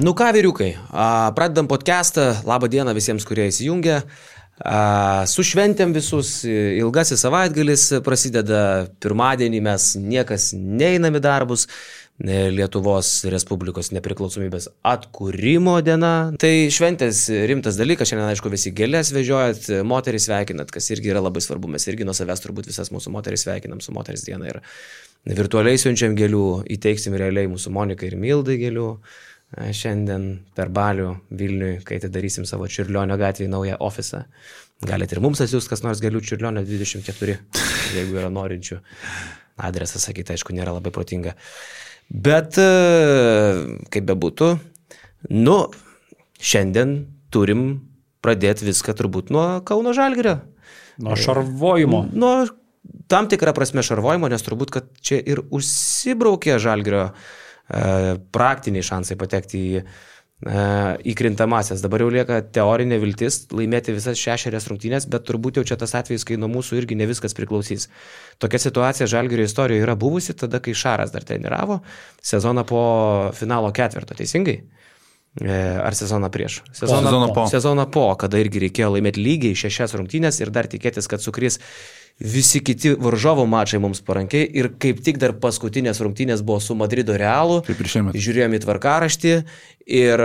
Nu ką, vyriukai, pradedam podcastą, labą dieną visiems, kurie įsijungia. Su šventėm visus, ilgasis savaitgalis prasideda, pirmadienį mes niekas neeinam į darbus, Lietuvos Respublikos nepriklausomybės atkūrimo diena. Tai šventės rimtas dalykas, šiandien aišku visi gėlės vežiojat, moterys sveikinat, kas irgi yra labai svarbu, mes irgi nuo savęs turbūt visas mūsų moterys sveikinam su moters diena ir virtualiai siunčiam gėlių, įteiksim realiai mūsų Monikai ir Mildai gėlių. Šiandien per Balių Vilniui, kai atidarysim savo Čiurlionio gatvėje naują ofisą. Galite ir mums atsiųsti kas nors gėlių Čiurlionio 24, jeigu yra norinčių. Adresą sakyti, aišku, nėra labai protinga. Bet, kaip bebūtų, šiandien turim pradėti viską turbūt nuo Kauno Žalgirio. Nuo šarvojimo. Nuo tam tikrą prasme šarvojimo, nes turbūt, kad čia ir užsibraukė Žalgirio praktiniai šansai patekti į krintamasias. Dabar jau lieka teorinė viltis laimėti visas 6 rungtynės, bet turbūt jau čia tas atvejis, kai nuo mūsų irgi ne viskas priklausys. Tokia situacija Žalgirio istorijoje yra buvusi tada, kai Šaras dar treniravo sezoną po finalo ketvirto, teisingai? Ar sezoną prieš? Sezoną po, kada irgi reikėjo laimėti lygiai 6 rungtynės ir dar tikėtis, kad sukris visi kiti varžovų mačai mums parankiai ir kaip tik dar paskutinės rungtynės buvo su Madrido Realu, žiūrėjom į tvarkaraštį ir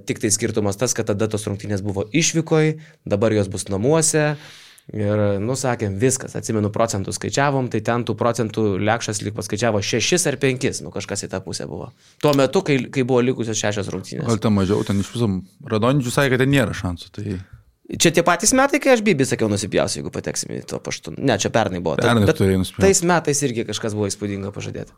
tik tai skirtumas tas, kad tada tos rungtynės buvo išvykoj, dabar jos bus namuose ir, sakėm, viskas, atsimenu procentų skaičiavom, tai ten tų procentų Lekšas lyg paskaičiavo 6 ar 5, kažkas į tą pusę buvo. Tuo metu, kai buvo likusios 6 rungtynės. Gal ten mažiau, ten iš viso Radonidžius sakė, kad ten nėra šansų, tai... Čia tie patys metai, kai aš Bibį sakiau nusipjausiu, jeigu pateksim į to paštu. Ne, čia pernai buvo. Bet tais metais irgi kažkas buvo įspūdinga pažadėti.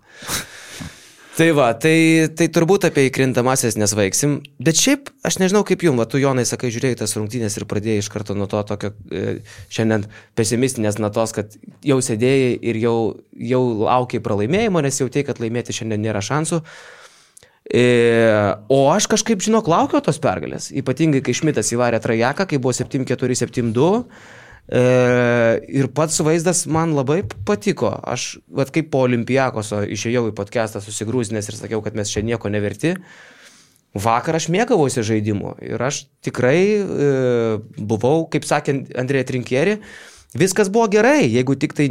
Tai va, tai turbūt apie įkrintamasias nesvaiksim. Bet šiaip, aš nežinau kaip jums, tu Jonai sakai, žiūrėjai tas rungtynės ir pradėjai iš karto nuo to tokio šiandien pesimistinės natos, kad jau sėdėjai ir jau laukiai pralaimėjimo, nes jautėjai, kad laimėti šiandien nėra šansų. O aš kažkaip, laukiau tos pergalės, ypatingai kai Šmitas įvarė Trajaką, kai buvo 7-4, 7-2 ir pats vaizdas man labai patiko. Aš, kaip po Olimpiakoso išėjau į podcastą susigrūzinęs ir sakiau, kad mes čia nieko neverti. Vakar aš mėgavausi žaidimu ir aš tikrai buvau, kaip sakė Andrėja Trinkieri, viskas buvo gerai, jeigu tik tai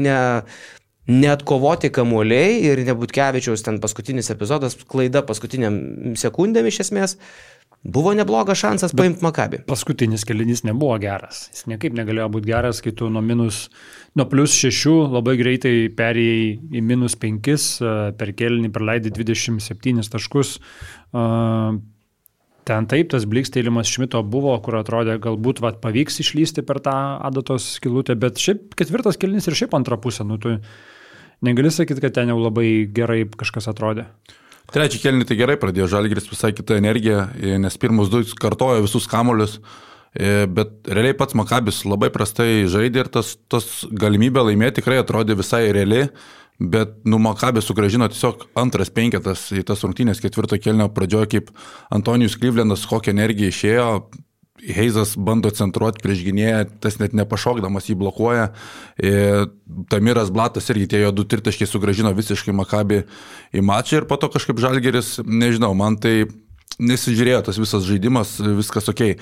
neatkovoti kamuoliai ir Butkevičiaus ten paskutinis epizodas, klaida paskutiniam sekundėm iš esmės, buvo neblogas šansas paimti Makabį. Paskutinis kėlinys nebuvo geras. Jis niekaip negalėjo būti geras, kai tu nuo +6 labai greitai perėjai į -5, per kėlinį praleidai 27 taškus. Ten taip, tas blikstėjimas Šmito buvo, kur atrodė, galbūt pavyks išlysti per tą adatos skylutę, bet šiaip 4 kėlinys ir šiaip antrą pusę, tu negali sakyti, kad ten jau labai gerai kažkas atrodė. Trečią kėlinį tai gerai pradėjo Žalgiris, visai kita energija, nes pirmus 2 kartojo visus kamuolius, bet realiai pats Makabis labai prastai žaidė ir tas galimybė laimėti tikrai atrodė visai reali. Bet Makabis sugrąžino tiesiog antras 5 į tas rungtynės 4 kėlinio pradžioje, kaip Antonijus Klyvlendas, kokią energiją išėjo, Heizas bando centruoti prieš gynėją, tas net nepašokdamas jį blokuoja, Tamiras Blatas irgi tie jo 2 tritaškiai sugrąžino visiškai Makabį į mačą ir po to kažkaip Žalgiris, nežinau, man tai nesižiūrėjo tas visas žaidimas, viskas okei.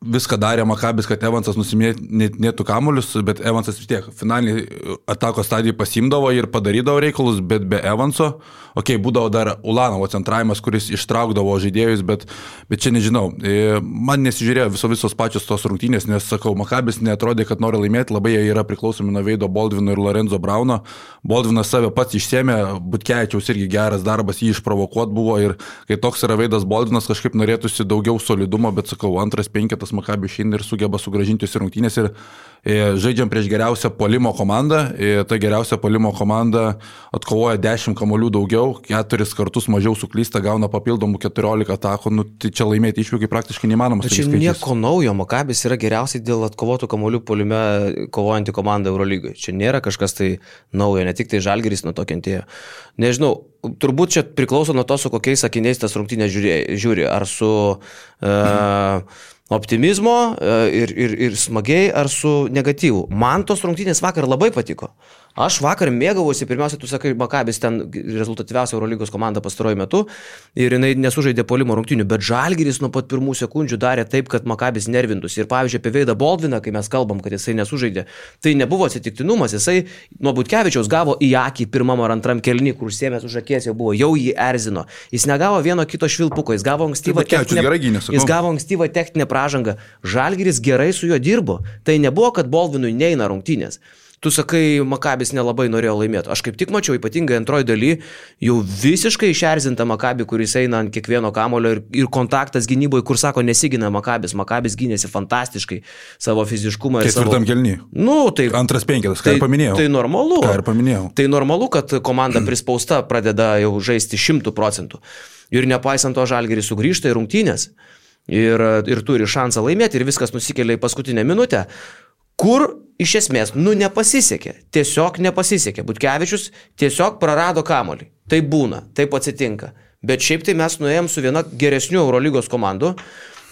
Viską darė Makabis, kad Evansas nusiminėtų kamuolius, bet Evansas vis tiek finaliniai atakos stadijai pasimdavo ir padarydavo reikalus, bet be Evanso, būdavo dar Ulanovo centravimas, kuris ištraukdavo žaidėjus, bet čia nežinau, man nesižiūrėjo visos pačios tos rungtynės, nes, sakau, Makabis neatrodė, kad nori laimėti, labai jie yra priklausomi nuo Veido Baldvino ir Lorenzo Brauno. Baldvinas save pats išsėmė, Butkevičiaus irgi geras darbas jį išprovokuot buvo ir kai toks yra Veidas Baldvinas, kažkaip norėtųsi daugiau solidumo, bet, sakau, antras 5 Makabis šiandien ir sugeba sugrąžinti rungtynės ir žaidžiam prieš geriausią puolimo komandą. Ta geriausia puolimo komanda atkovoja 10 kamuolių daugiau, 4 kartus mažiau suklysta, gauna papildomų 14 atakų. Tai čia laimėti išvykai praktiškai neįmanomas. Čia nieko naujo, Makabis yra geriausiai dėl atkovotų kamuolių puolime kovojanti komanda Eurolygoje. Čia nėra kažkas tai naujo, ne tik tai Žalgiris nuo to kentėjo. Nežinau, turbūt čia priklauso nuo to, su kokiais sakiniais tas rungtynės žiūri. Ar su optimizmo ir smagiai, ar su negatyvu. Man tos rungtynės vakar labai patiko. Aš vakar mėgavosi, pirmiausia, tu sakai, Makabis ten rezultatyviausia Eurolygos komanda pastaruoju metu ir jinai nesužaidė puolimo rungtynių, bet Žalgiris nuo pat pirmų sekundžių darė taip, kad Makabis nervintųsi. Ir pavyzdžiui, apie Veidą Baldviną, kai mes kalbam, kad jisai nesužaidė, tai nebuvo atsitiktinumas, jisai nuo Butkevičiaus gavo į akį pirmam ar antram kėlinį, kur užsiėmęs už akies jau buvo, jau jį erzino. Jis negavo vieno kito švilpuko, jis gavo ankstyvą techninę pražangą. Žalgiris gerai su juo dirbo. Tai nebuvo, kad Baldvinui neina rungtynės. Tu sakai, Makabis nelabai norėjo laimėti. Aš kaip tik mačiau, ypatingai antroji daly, jau visiškai išerzinta Makabį, kuris eina ant kiekvieno kamulio ir kontaktas gynyboje, kur sako, nesigina Makabis. Makabis gynėsi fantastiškai savo fiziškumą. Ketvirtam kėliny. Tai, antras penketas, ką ir paminėjau. Tai normalu. Ką ir paminėjau. Tai normalu, kad komanda prispausta pradeda jau žaisti 100%. Ir nepaisant to Žalgiris sugrįžta į rungtynės ir turi šansą laimėti ir viskas nusikelia į paskutinę minutę. Kur iš esmės, nepasisekė. Tiesiog nepasisekė. Butkevičius tiesiog prarado kamuolį. Tai būna, taip atsitinka. Bet šiaip tai mes nuėjom su viena geresnių Eurolygos komandų,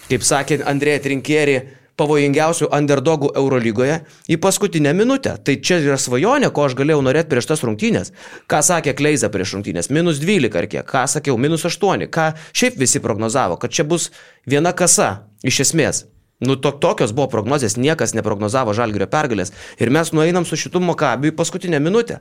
kaip sakė Andrėja Trinkieri, pavojingiausių underdogų Eurolygoje į paskutinę minutę. Tai čia yra svajonė, ko aš galėjau norėti prieš tas rungtynės. Ką sakė Kleiza prieš rungtynės? -12 ar kiek? Ką sakiau? -8. Ką šiaip visi prognozavo? Kad čia bus viena kasa, iš esmės. Tokios buvo prognozės, niekas neprognozavo Žalgirio pergalės. Ir mes nueinam su šitu Makabiu į paskutinę minutę.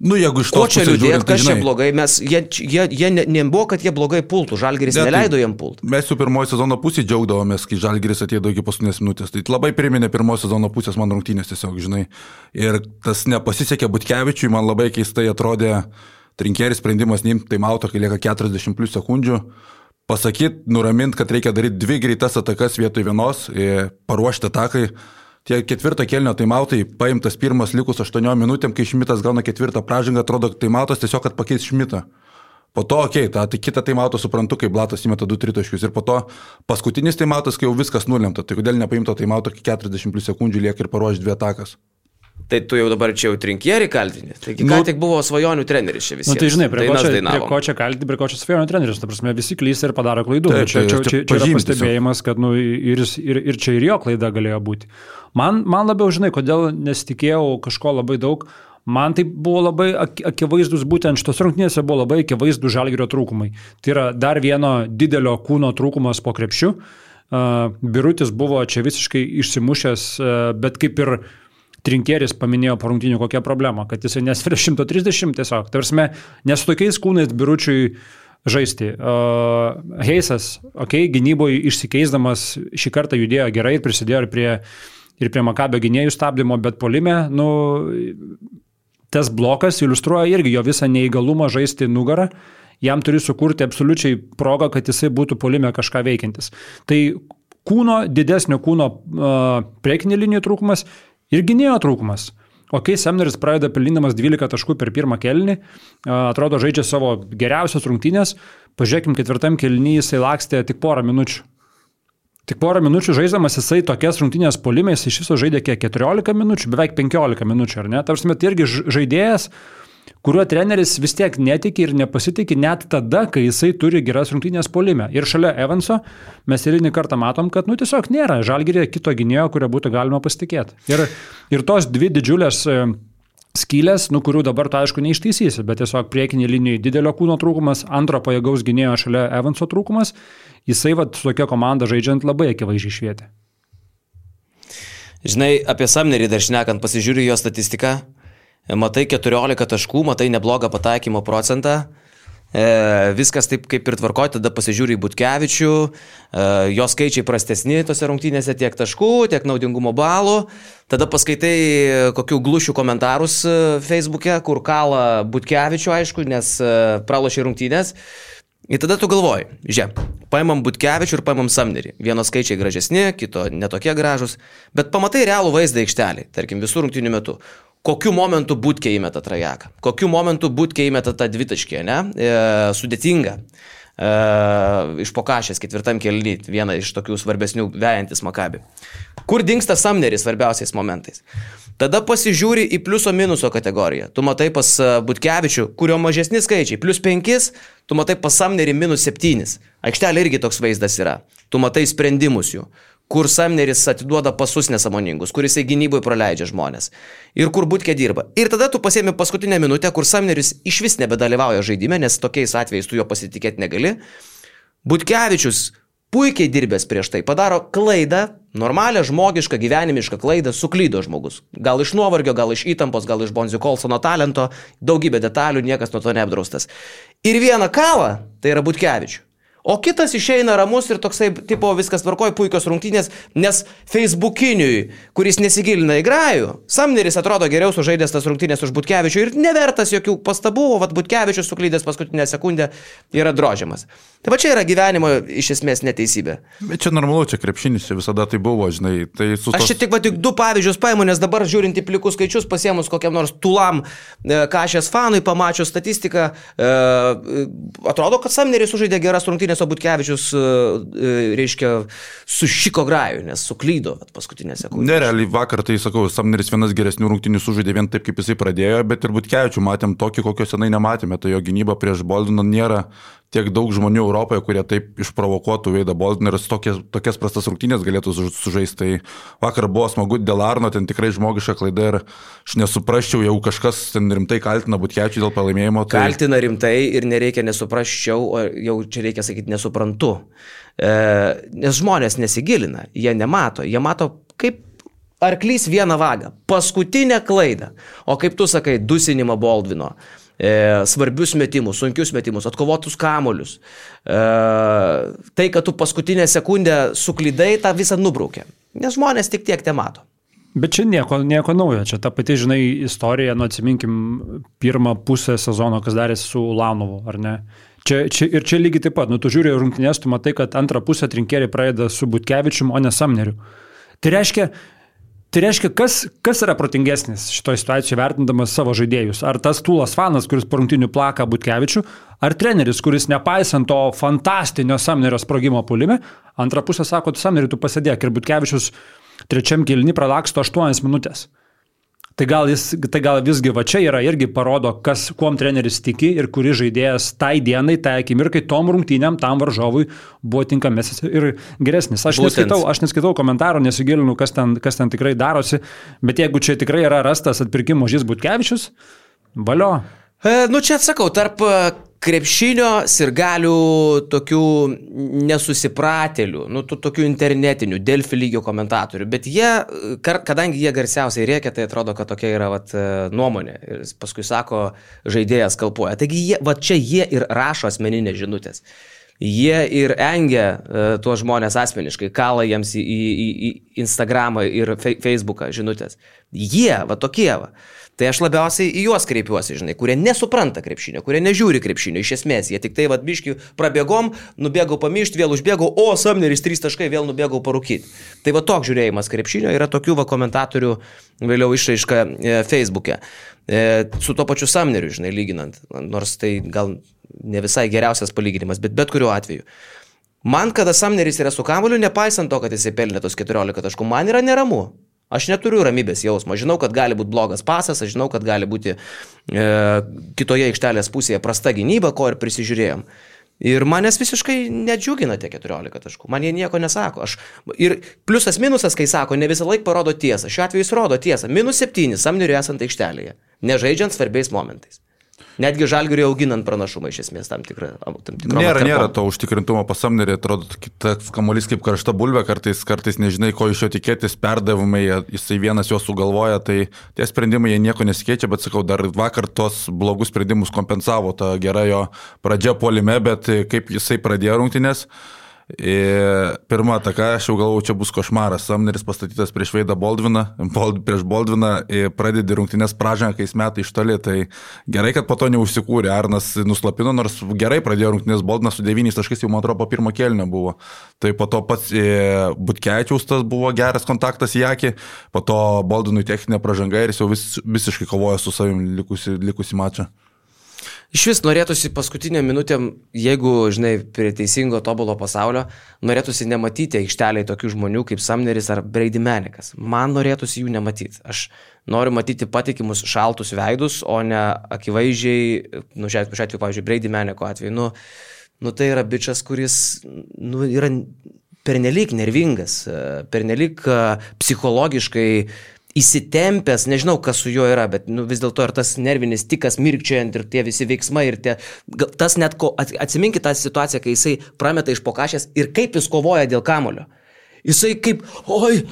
Jeigu iš to čia liūdėt, kas čia blogai, jie nebuvo, kad jie blogai pultų, Žalgiris neleido jiem pulti. Mes su pirmojo sezono pusė džiaugdavomės, kai Žalgiris atėjo iki paskutinės minutės. Tai labai priminė pirmojo sezono pusės man rungtynės tiesiog, žinai. Ir tas nepasisekė Butkevičiui, man labai keistai atrodė Trinkieris sprendimas neimti taimauto, kai lieka 40 plus sekundžių. Pasakyti, nuramint, kad reikia daryti 2 greitas atakas vietoj vienos, paruošti atakai. Tie ketvirto kėlinio taimautai, paimtas pirmas likus 8 minutėm, kai Šmitas gauna ketvirtą pražangą, atrodo taimautas tiesiog, kad pakeis Šmitą. Po to, tai kitą taimautą suprantu, kai Blatas įmeta 2 tritaškius. Ir po to paskutinis taimautas, kai jau viskas nulemta. Tai kodėl nepaimto taimauto, kai 40 plus sekundžių lieka ir paruošti 2 atakas. Tai tu jau dabar čia jau Trinkierį kaltinė. Taigi ką tik buvo svajonių treneris čia visiems. Tai žinai, prie ko čia kaltinti, prie ko čia svajonių treneris. Ta prasme, visi klysta ir padaro klaidų. Čia yra pastebėjimas, kad ir čia ir jo klaida galėjo būti. Man labiau, žinai, kodėl nesitikėjau kažko labai daug. Man tai buvo labai akivaizdus, būtent šitos rungtynėse buvo labai akivaizdus Žalgirio trūkumai. Tai yra dar vieno didelio kūno trūkumas po krepšiu. Birutis buvo čia visiškai išsimušęs, bet kaip ir Trinkieris paminėjo po rungtynių kokią problemą, kad jisai nesveria 130 tiesiog. Tarsi, nes su tokiais kūnais Biručiui žaisti. Heisas, gynyboje išsikeisdamas šį kartą judėjo gerai ir prisidėjo ir prie Makabio gynėjų stabdymo, bet puolime, tas blokas iliustruoja irgi jo visą neįgalumą žaisti nugarą. Jam turi sukurti absoliučiai progą, kad jisai būtų puolime kažką veikiantis. Tai didesnio kūno priekinė linijų trūkumas ir gynėjo trūkumas. Semneris pradeda pelnindamas 12 taškų per pirmą kėlinį, atrodo žaidžia savo geriausias rungtynės, pažiūrėkim, ketvirtam kėlinį jisai lakstė tik porą minučių. Tik porą minučių žaisdamas jisai tokias rungtynės puolimės iš viso žaidė kiek 14 minučių, beveik 15 minučių, ar ne? Tarsi tai irgi žaidėjas, kuriuo treneris vis tiek netiki ir nepasitikė net tada, kai jisai turi geras rungtynės puolime. Ir šalia Evanso mes eilinį kartą matom, kad tiesiog nėra Žalgiryje kito gynėjo, kurio būtų galima pasitikėti. Ir tos 2 didžiulės skylės, kurių dabar tu aišku neištaisysi, bet tiesiog priekinė linijai didelio kūno trūkumas, antro pajėgaus gynėjo šalia Evanso trūkumas, jisai su tokia komanda žaidžiant labai akivaizdžiai švietė. Žinai, apie Samnerį dar šnekant, pasižiūriu jo statistiką. Matai 14 taškų, matai neblogą pataikymo procentą, viskas taip kaip ir tvarkoja, tada pasižiūri į Butkevičių, jo skaičiai prastesni tose rungtynėse tiek taškų, tiek naudingumo balų, tada paskaitai kokių glušių komentarus Facebook'e, kur kala Butkevičių, aišku, nes pralošė rungtynės. Ir tada tu galvoji, paimam Butkevičių ir paimam Samnerį. Vieno skaičiai gražesni, kito netokie gražus, bet pamatai realų vaizdą aikštelį, tarkim visų rungtynių metu. Kokiu momentu Butkė įmeta trajeką, kokiu momentu Butkė įmeta tą dvitaškį, sudėtinga. Iš pokašės ketvirtam kėlinį, viena iš tokių svarbesnių vejantis Makabį. Kur dingsta Samneris svarbiausiais momentais? Tada pasižiūri į pliuso minuso kategoriją. Tu matai pas Butkevičių, kurio mažesni skaičiai, +5, tu matai pas Samnerį -7. Aikštelė irgi toks vaizdas yra. Tu matai sprendimus jų. kur Samneris atiduoda pasus nesąmoningus, kur jisai gynyboje praleidžia žmonės ir kur Butkė dirba. Ir tada tu pasiemi paskutinę minutę, kur Samneris iš vis nebedalyvauja žaidime, nes tokiais atvejais tu jo pasitikėti negali. Butkevičius puikiai dirbęs prieš tai padaro klaidą, normalią, žmogišką, gyvenimišką klaidą, suklydo žmogus. Gal iš nuovargio, gal iš įtampos, gal iš Bonzi Kolsono talento, daugybė detalių, niekas nuo to neapdraustas. Ir vieną kavą, tai yra Butkevičių. O kitas išeina ramus ir toksai, tipo, viskas tvarkoja, puikios rungtynės, nes Facebookiniui, kuris nesigilina į grajų, Samneris atrodo geriau sužaidęs tas rungtynės už Butkevičių ir nevertas jokių pastabų, o vat Butkevičius suklydęs paskutinę sekundę yra drožiamas. Tai va čia yra gyvenimo iš esmės neteisybė. Bet čia normalu, čia krepšinis, čia visada tai buvo, žinai. Tai Aš čia tik du pavyzdžius paimu, nes dabar žiūrint į plikus skaičius, pasiemus kokiam nors Tulam Kašės fanui, pamačius statistiką, atrodo, kad Samneris sužaidė geras rungtynės, o Butkevičius, reiškia, sušiko grajų, nes suklydo paskutinę sekundę. Nerealiai vakar, tai sakau, Samneris vienas geresnių rungtynių sužaidė vien taip, kaip jisai pradėjo, bet ir Butkevičių matėm tokį, kokio senai nematėme. Tai jo gynyba prieš Boldiną nėra tiek daug žmonių Europoje, kurie taip išprovokuotų Veidą Boldiną ir tokias prastas rungtynės galėtų sužaisti. Tai vakar buvo smagu dėl Arno, ten tikrai žmogiška klaida ir aš nesuprasčiau, jau kažkas ten rimtai kaltina Butkevičių dėl pralaimėjimo. Tai... Kaltina rimtai ir nereikia nesuprasčiau, o jau čia reikia sakyti nesuprantu. Nes žmonės nesigilina, jie nemato, jie mato kaip arklys vieną vagą, paskutinę klaidą, o kaip tu sakai, dusinimą Boldvino. Svarbius metimus, sunkius metimus, atkovotus kamolius. Tai, kad tu paskutinę sekundę suklydai, tą visą nubraukė. Nes žmonės tik tiek te mato. Bet čia nieko naujo. Čia ta pati, žinai, istorija, atsiminkim pirmą pusę sezono, kas darėsi su Ulanovu, ar ne? Čia lygiai taip pat. Tu žiūri rungtynės, tu matai, kad antrą pusę trinkeriai pradeda su Butkevičium, o ne Samneriu. Tai reiškia, kas yra protingesnis šitoje situacijoje vertindamas savo žaidėjus? Ar tas Tūlas fanas, kuris po rungtynių plaka Butkevičių, ar treneris, kuris nepaisant to fantastinio Samnerio sprogimo puolime, antrą pusę sako, tu Samneriu, tu pasėdėk ir Butkevičius trečiam kėliny pralaksto 8 minutės. Tai gal visgi va čia yra irgi parodo, kuom treneris tiki ir kuris žaidėjas tai dienai, tai akimirkai, tom rungtynėm, tam varžovui buvo tinkamesnis ir geresnis. Aš neskaitau komentarų, nesigilinu, kas ten tikrai darosi, bet jeigu čia tikrai yra rastas atpirkimo ožys Butkevičius, valio. Čia atsakau, tarp krepšinio sirgalių tokių nesusipratėlių, tokių internetinių, Delfi lygio komentatorių, bet jie, kadangi jie garsiausiai rėkia, tai atrodo, kad tokia yra nuomonė ir paskui sako, žaidėjas kalpuoja. Taigi jie ir rašo asmeninės žinutės. Jie ir engia tuos žmonės asmeniškai, kala jiems į Instagramą ir Facebooką žinutės. Jie, tokie. Tai aš labiausiai į juos kreipiuosi, žinai, kurie nesupranta krepšinio, kurie nežiūri krepšinio iš esmės. Jie tik tai biški prabėgom, nubėgau pamišti, vėl užbėgau, o Samneris 3 taškai, vėl nubėgau parūkyti. Tai toks žiūrėjimas krepšinio, yra tokių komentatorių vėliau išraiška Facebook'e. Su to pačiu Samneriu, žinai, lyginant, nors tai gal ne visai geriausias palyginimas, bet kuriuo atveju. Man, kada Samneris yra su kamuoliu, nepaisant to, kad jisai pelnė tos 14 taškų, man yra neramu. Aš neturiu ramybės jausmo, žinau, kad gali būti blogas pasas, aš žinau, kad gali būti kitoje aikštelės pusėje prasta gynyba, ko ir prisižiūrėjom. Ir manęs visiškai nedžiugina tie 14 taškų, man jie nieko nesako. Ir pliusas minusas, kai sako, ne visą laiką parodo tiesą, šiuo atveju jis rodo tiesą, -7 Samneriui esant aikštelėje, nežaidžiant svarbiais momentais. Netgi Žalgiriui auginant pranašumą iš esmės tam tikrą. Nėra to užtikrintumo pas Samnerį, atrodo, tas kamuolys kaip karšta bulvė, kartais nežinai, ko iš jo tikėtis, perdavimai, jisai vienas juos sugalvoja, tai tie sprendimai jie nieko nesikeičia, bet sakau, dar vakar tos blogus sprendimus kompensavo ta gera jo pradžia puolime, bet kaip jisai pradėjo rungtynės. Pirma ataka, aš jau galvojau, čia bus košmaras. Samneris pastatytas prieš Veidą prieš Boldviną, pradedi rungtynės pražangą, kai jis metai iš toli, tai gerai, kad po to neužsikūrė. Arnas nuslapino, nors gerai pradėjo rungtynės, Boldvinas su 9 taškais jau, man atrodo, po pirmo kėlinio buvo. Tai po to pats Butkevičiaus tas buvo geras kontaktas į akį, po to Boldvinui techninė pražanga ir jis jau visiškai kovoja su savim likusi mačą. Iš vis norėtųsi paskutinę minutę, jeigu, žinai, prie teisingo tobulo pasaulio, norėtųsi nematyti aikšteliai tokių žmonių kaip Samneris ar Brady Manikas. Man norėtųsi jų nematyti. Aš noriu matyti patikimus šaltus veidus, o ne akivaizdžiai, šiuo atveju, pavyzdžiui, Brady Maniko atveju, tai yra bičas, kuris, yra pernelyg nervingas, pernelyg psichologiškai įsitempęs, nežinau, kas su juo yra, bet vis dėlto ir tas nervinis tikas mirkčiojant ir tie visi veiksmai ir tas net, atsiminkit tą situaciją, kai jisai prameta iš pokašės ir kaip jis kovoja dėl kamulio. Jisai kaip, oi,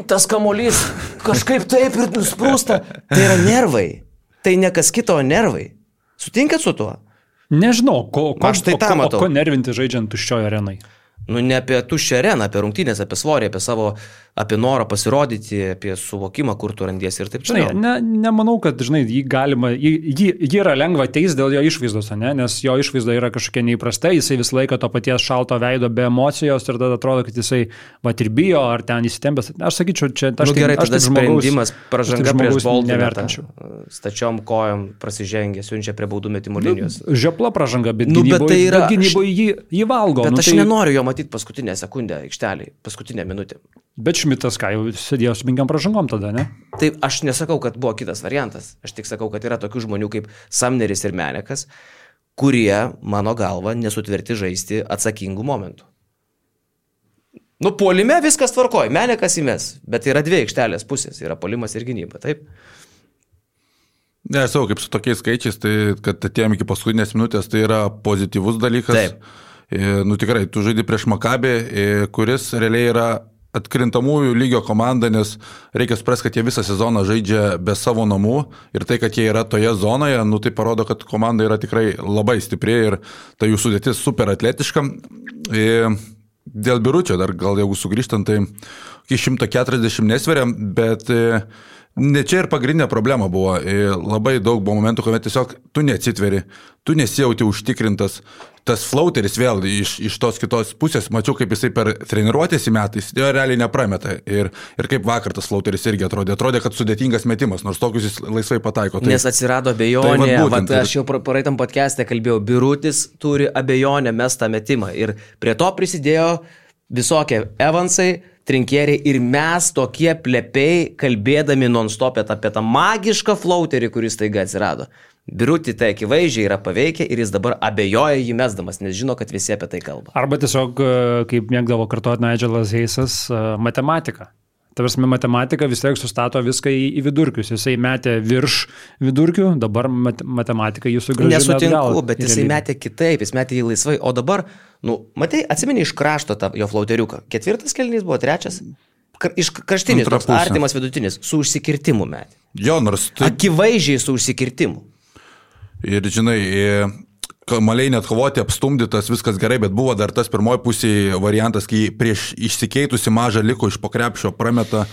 tas kamolys kažkaip taip ir nusprūsta. Tai yra nervai. Tai ne kas kito, nervai. Sutinkat su tuo? Nežinau, ko nervinti žaidžiant tuščioje arenai. Ne apie tuščią areną, apie rungtynės, apie svorį, apie norą pasirodyti, apie suvokimą, kur tu randiesi ir taip čia. Nemanau, kad, jį galima, jį yra lengva teis dėl jo išvaizdos, nes jo išvaizda yra kažkokia neįprasta, jisai visą laiką to paties šalto veido be emocijos ir tada atrodo, kad jisai ir bijo, ar ten įsitempęs. Aš sakyčiau, čia gerai, tada sprendimas, pražanga prieš Boldiną, stačiom kojom prasižengė, siunčia prie baudų metimų linijos. Žiopla pražanga, bet gynyboje jį valgo. Bet aš nenoriu jo matyti paskutinę sekundę aikštelį, paskutinę minutę. Bet Šmitas, jau sėdėjo su 5 pražangom tada, ne? Taip, aš nesakau, kad buvo kitas variantas. Aš tik sakau, kad yra tokių žmonių kaip Samneris ir Menekas, kurie, mano galva, nesutverti žaisti atsakingų momentų. Puolime viskas tvarkoja, Menekas įmes, bet yra 2 aikštelės pusės, yra puolimas ir gynyba, taip? Ne, aš sakau, kaip su tokiais skaičiais, tai kad atėjom iki paskutinės minutės, tai yra pozityvus dalykas. Taip. Tikrai, tu žaidži prieš Makabį, kuris realiai yra atkrintamųjų lygio komanda, nes reikia suprasti, kad jie visą sezoną žaidžia be savo namų ir tai, kad jie yra toje zonoje, tai parodo, kad komanda yra tikrai labai stipri ir ta jų sudėtis super atletiška. Dėl Biručio dar gal jeigu sugrįžtant, tai iki 140 nesveria, bet ne čia ir pagrindinė problema buvo. Labai daug buvo momentų, kuomet tiesiog tu neatsitveri, tu nesijauti užtikrintas. Tas flauteris vėl iš tos kitos pusės, mačiau, kaip jisai per treniruotės į metais, jo realiai neprameta. Ir kaip vakar tas flauteris irgi atrodė, kad sudėtingas metimas, nors tokius jis laisvai pataiko. Nes atsirado abejonė, aš jau praeitam podcast'e kalbėjau, Birutis turi abejonę mestą metimą ir prie to prisidėjo visokie Evansai, Trinkieriai ir mes tokie plepiai kalbėdami non-stop apie tą magišką flauterį, kuris taiga atsirado. Birutį tai akivaizdžiai yra paveikę ir jis dabar abejoja jį mesdamas, nes žino, kad visi apie tai kalba. Arba tiesiog, kaip mėgdavo kartuoti Nigelas Heisas, matematika. Tavarsime, matematika vis tiek sustato viską į vidurkius. Jisai metė virš vidurkių, dabar matematika jį sugrąžina atgal. Nesutinku, bet jisai metė kitaip, jis metė jį laisvai, o dabar, matai, atsimeni iš krašto tą jo flauteriuką. 4 kėlinys buvo 3, iš kraštinis, toks artimas vidutinis, su užsikirtimu metė. Jo, nors tai... Akivaizdžiai su užsikirtimu. Ir žinai, kamaliai net kovoti, apstumdytas, viskas gerai, bet buvo dar tas pirmoji pusėje variantas, kai prieš išsikeitusi mažą liko iš po krepšio prameta.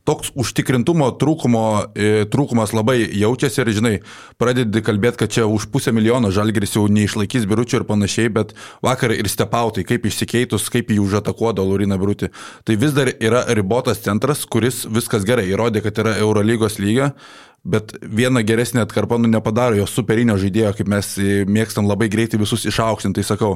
Toks užtikrintumo trūkumas labai jaučiasi ir, žinai, pradedi kalbėti, kad čia už 500 000 Žalgiris jau neišlaikys Biručio ir panašiai, bet vakar ir stepautai, kaip išsikeitus, kaip jį užatakuodo Lauriną Birutį. Tai vis dar yra ribotas centras, kuris viskas gerai įrodė, kad yra Eurolygos lyga, bet vieną geresnį atkarpą nepadaro jo superinio žaidėjo, kaip mes mėgstam labai greitai visus išaukštinti. Tai sakau,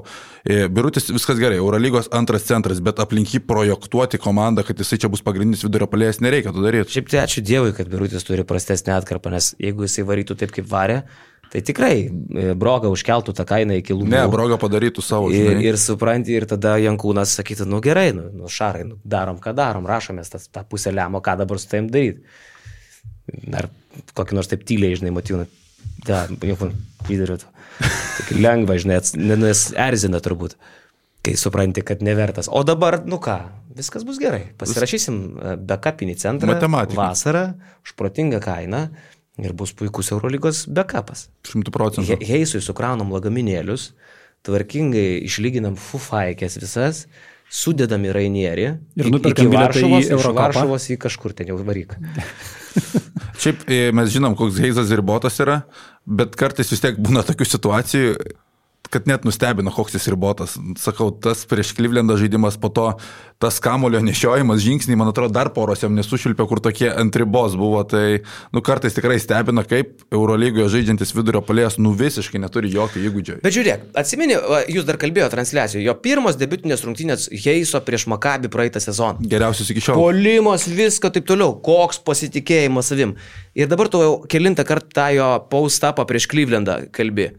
Birutis viskas gerai, Eurolygos antras centras, bet aplink jį projektuoti komandą, kad jisai čia bus pagrindinis vidurio puolėjas, nereikia to daryti. Šiaip tai ačiū Dievui, kad Birutis turi prastesnį atkarpą, nes jeigu jisai varytų taip, kaip varė, tai tikrai Broga užkeltų tą kainą iki lūpų. Ne, Broga padarytų savo. Ir supranti, ir tada Jankūnas sakytų, gerai, Šarai, darom, ką darom, rašomės tą pusę lemo, ką dabar su taim daryti. Ar kokį nors taip tyliai, žinai, motyvą, lyderiu to. Tik lengva, žinai, nes erzina turbūt, kai supranti, kad nevertas. O dabar, viskas bus gerai. Pasirašysim backupinį centrą vasarą, už protingą kainą ir bus puikus Eurolygos backupas. 100%. Heisui sukraunam lagaminėlius, tvarkingai išlyginam fufaikės visas, sudedam į Rainierį ir nuperkam bilietą į Eurokapą. Iš Varšuvos į kažkur ten jau varyk. Šiaip mes žinom, koks Heisas ribotas yra, bet kartais vis tiek būna tokių situacijų, kad net nustebino, koks jis ribotas. Sakau, tas prieš Clevelandą žaidimas, po to tas kamulio nešiojimas, žingsniai, man atrodo, dar poros jam nesušilpė, kur tokie ant ribos buvo. Tai, kartais tikrai stebina, kaip Eurolygoje žaidžiantis vidurio puolėjas, visiškai neturi jokio įgūdžio. Bet žiūrėk, atsimeni, jūs dar kalbėjote transliacijoje, jo pirmos debiutinės rungtynės Heiso prieš Makabį praeitą sezoną. Geriausias iki šiol. Puolimas, viską taip toliau, koks pasitikėjimas savim. Ir dabar tu jau kelintą kartą jo post-upą prieš Clevelandą kalbi.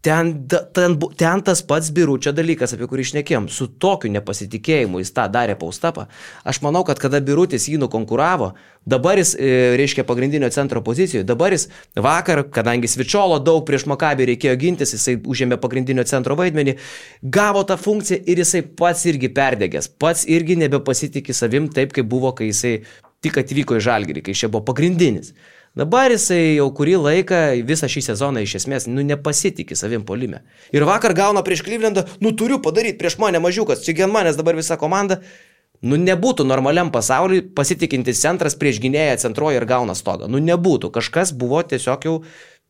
ten tas pats Biručio dalykas, apie kurį šnekėjom, su tokiu nepasitikėjimu jis tą darė Paustapą. Aš manau, kad kada Birutis jį nukonkuravo, dabar jis, reiškia, pagrindinio centro pozicijoje, dabar jis vakar, kadangi Svičiolo daug prieš Makabį reikėjo gintis, jisai užėmė pagrindinio centro vaidmenį, gavo tą funkciją ir jisai pats irgi perdegęs, pats irgi nebepasitikė savim taip, kaip buvo, kai jisai tik atvyko į Žalgirį, kai šia buvo pagrindinis. Dabar jisai jau kurį laiką, visą šį sezoną iš esmės, nepasitikė savim puolime. Ir vakar gauna prieš Clevelandą, turiu padaryti prieš mane mažiukas, čia gen manęs dabar visa komanda. Nebūtų normaliam pasauliui pasitikintis centras prieš gynėją centruoja ir gauna stogą. Nebūtų. Kažkas buvo tiesiog jau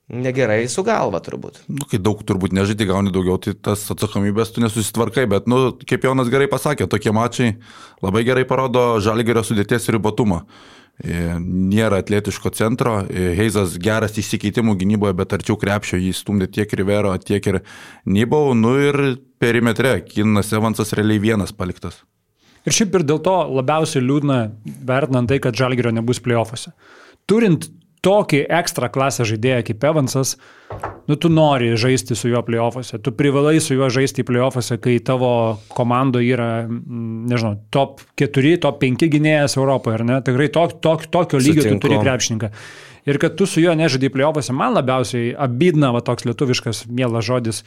negerai su galva turbūt. Kai daug turbūt nežaidži, gauni daugiau, tai tas atsakomybės tu nesusitvarkai, bet, kaip Jonas gerai pasakė, tokie mačai labai gerai parodo Žalgirio sudėties ribotumą. Nėra atletiško centro, Heizas geras išsikeitimų gynyboje, bet arčiau krepšio jį stumdė tiek Rivero, tiek ir Nybau, ir perimetre Kinas Evansas realiai vienas paliktas. Ir šiaip ir dėl to labiausiai liūdna vertinant tai, kad Žalgirio nebus play-offuose. Turint tokį ekstra klasę žaidėją kaip Evansas, tu nori žaisti su juo play-offuose, tu privalai su juo žaisti play-offuose, kai tavo komandoje yra, nežinau, top 4, top 5 gynėjas Europoje, ar ne? Tikrai tokio lygio tu turi krepšininką. Ir kad tu su juo nežaidai play-offuose, man labiausiai abydna toks lietuviškas mielas žodis,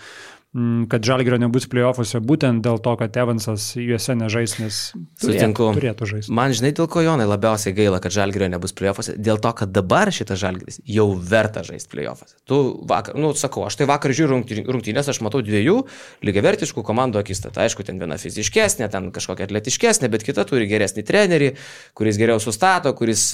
kad Žalgirio nebus play-offuose būtent dėl to, kad Evansas juose nežais, nes turėtų žaisti. Man žinai, dėl ko Jonai labiausiai gaila, kad Žalgirio nebus play-offuose, dėl to, kad dabar šitas Žalgiris jau verta žaisti play-offuose. Tu vakar, sakau, aš tai vakar žiūriu rungtynės, aš matau dviejų lygiavertiškų komandų akistatą. Aišku, ten viena fiziškesnė, ten kažkokia atletiškesnė, bet kita turi geresnį trenerį, kuris geriau sustato, kuris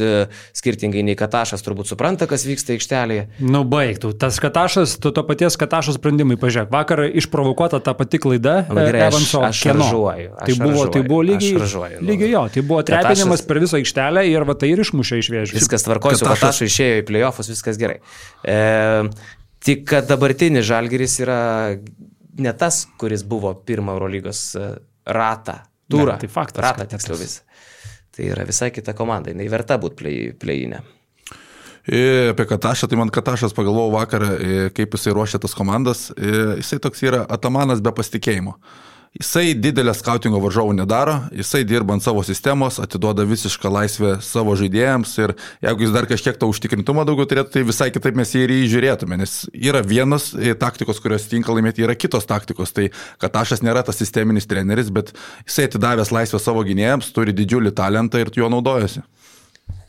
skirtingai nei Katašas turbūt supranta, kas vyksta aikštelėje. Baigtų. Tas Katašas, to paties Katašo sprendimai, pažiūrėk, vakar išprovokuota ta pati klaida Evanso. Aš šaržuoju. Tai buvo lygiai jo, tai buvo trepinimas per visą aikštelę ir tai ir išmušė iš vėžių. Viskas tvarkoju, su Katašu išėjo į play-offus, viskas gerai. Tik kad dabartinis Žalgiris yra ne tas, kuris buvo pirmą Eurolygos turą. Tai faktas. Ratą tiksliau visą. Tai yra visai kita komanda, jinai verta būti play-inė. Apie Katašą, tai man Katašas pagalvojau vakarą, kaip jisai ruošia tas komandas, jisai toks yra atamanas be pasitikėjimo. Jisai didelę skautingo varžovų nedaro, jisai dirba ant savo sistemos, atiduoda visišką laisvę savo žaidėjams ir jeigu jis dar kažkiek to užtikrintumą daugiau turėtų, tai visai kitaip mes jį ir įžiūrėtume, nes yra vienos taktikos, kurios tinka laimėti, yra kitos taktikos, tai Katašas nėra tas sisteminis treneris, bet jisai atidavęs laisvę savo gynėjams, turi didžiulį talentą ir juo naudojasi.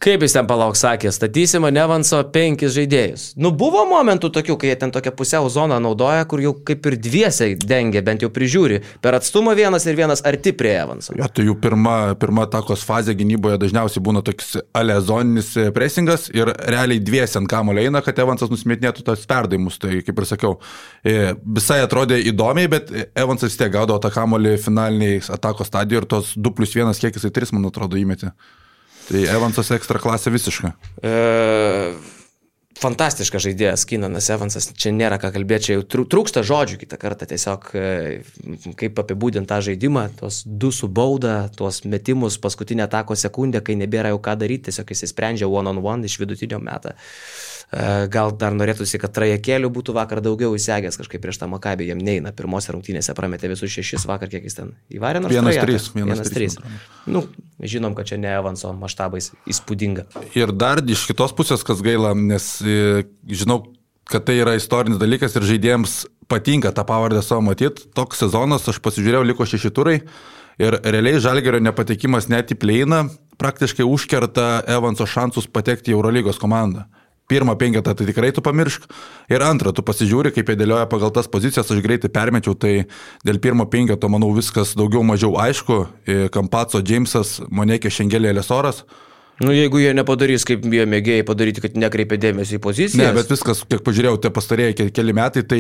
Kaip jis ten sakė, statysim ant Evanso 5 žaidėjus. Buvo momentų tokių, kai jie ten tokią pusiau zoną naudoja, kur jau kaip ir dviesiai dengia, bent jau prižiūri. Per atstumą vienas ir vienas arti prie Evanso. Jo, tai jų pirma takos fazė gynyboje dažniausiai būna toks alezoninis presingas ir realiai dviesi ant kamuolio eina, kad Evansas nusimetinėtų tas perdavimus. Tai kaip ir sakiau, visai atrodė įdomiai, bet Evansas vis tiek gaudavo tą kamuolį finaliniai atakos stadijoje ir tos 2+1 kiek jisai 3, man atrodo, įmetė. Tai Evansas ekstra klasė visiška. Fantastiškas žaidėjas Kinanas Evansas, čia nėra ką kalbėti, čia jau trūksta žodžių kitą kartą, tiesiog kaip apibūdinti tą žaidimą, tos 2 su bauda, tuos metimus paskutinę atako sekundę, kai nebėra jau ką daryti, tiesiog jis sprendžia one-on-one iš vidutinio metą. Gal dar norėtųsi, kad trajekėlių būtų vakar daugiau įsegęs kažkaip prieš tą Makabį, jam neina, pirmose rungtynėse prametė visus 6, vakar kiek jis ten įvarė nors 1-3. Žinom, kad čia ne Evanso maštabais įspūdinga. Ir dar iš kitos pusės, kas gaila, nes žinau, kad tai yra istorinis dalykas ir žaidėjams patinka tą pavardę savo matyti. Toks sezonas, aš pasižiūrėjau, liko 6 turai ir realiai Žalgirio nepatekimas net į play-iną praktiškai užkerta Evanso šansus patekti į Eurolygos komandą. Pirmą 5 tai tikrai tu pamiršk. Ir antrą, tu pasižiūri, kaip jie dėlioja pagal tas pozicijas, aš greitai permečiau, tai dėl pirmo 5, manau, viskas daugiau mažiau aišku. Kampaco, Džeimsas, Monekė, Šengelė, Lesoras. Jeigu jie nepadarys, kaip jie mėgėjai padaryti, kad nekreipia dėmesį į pozicijas. Ne, bet viskas, kiek pažiūrėjau, te pastarėjai keli metai, tai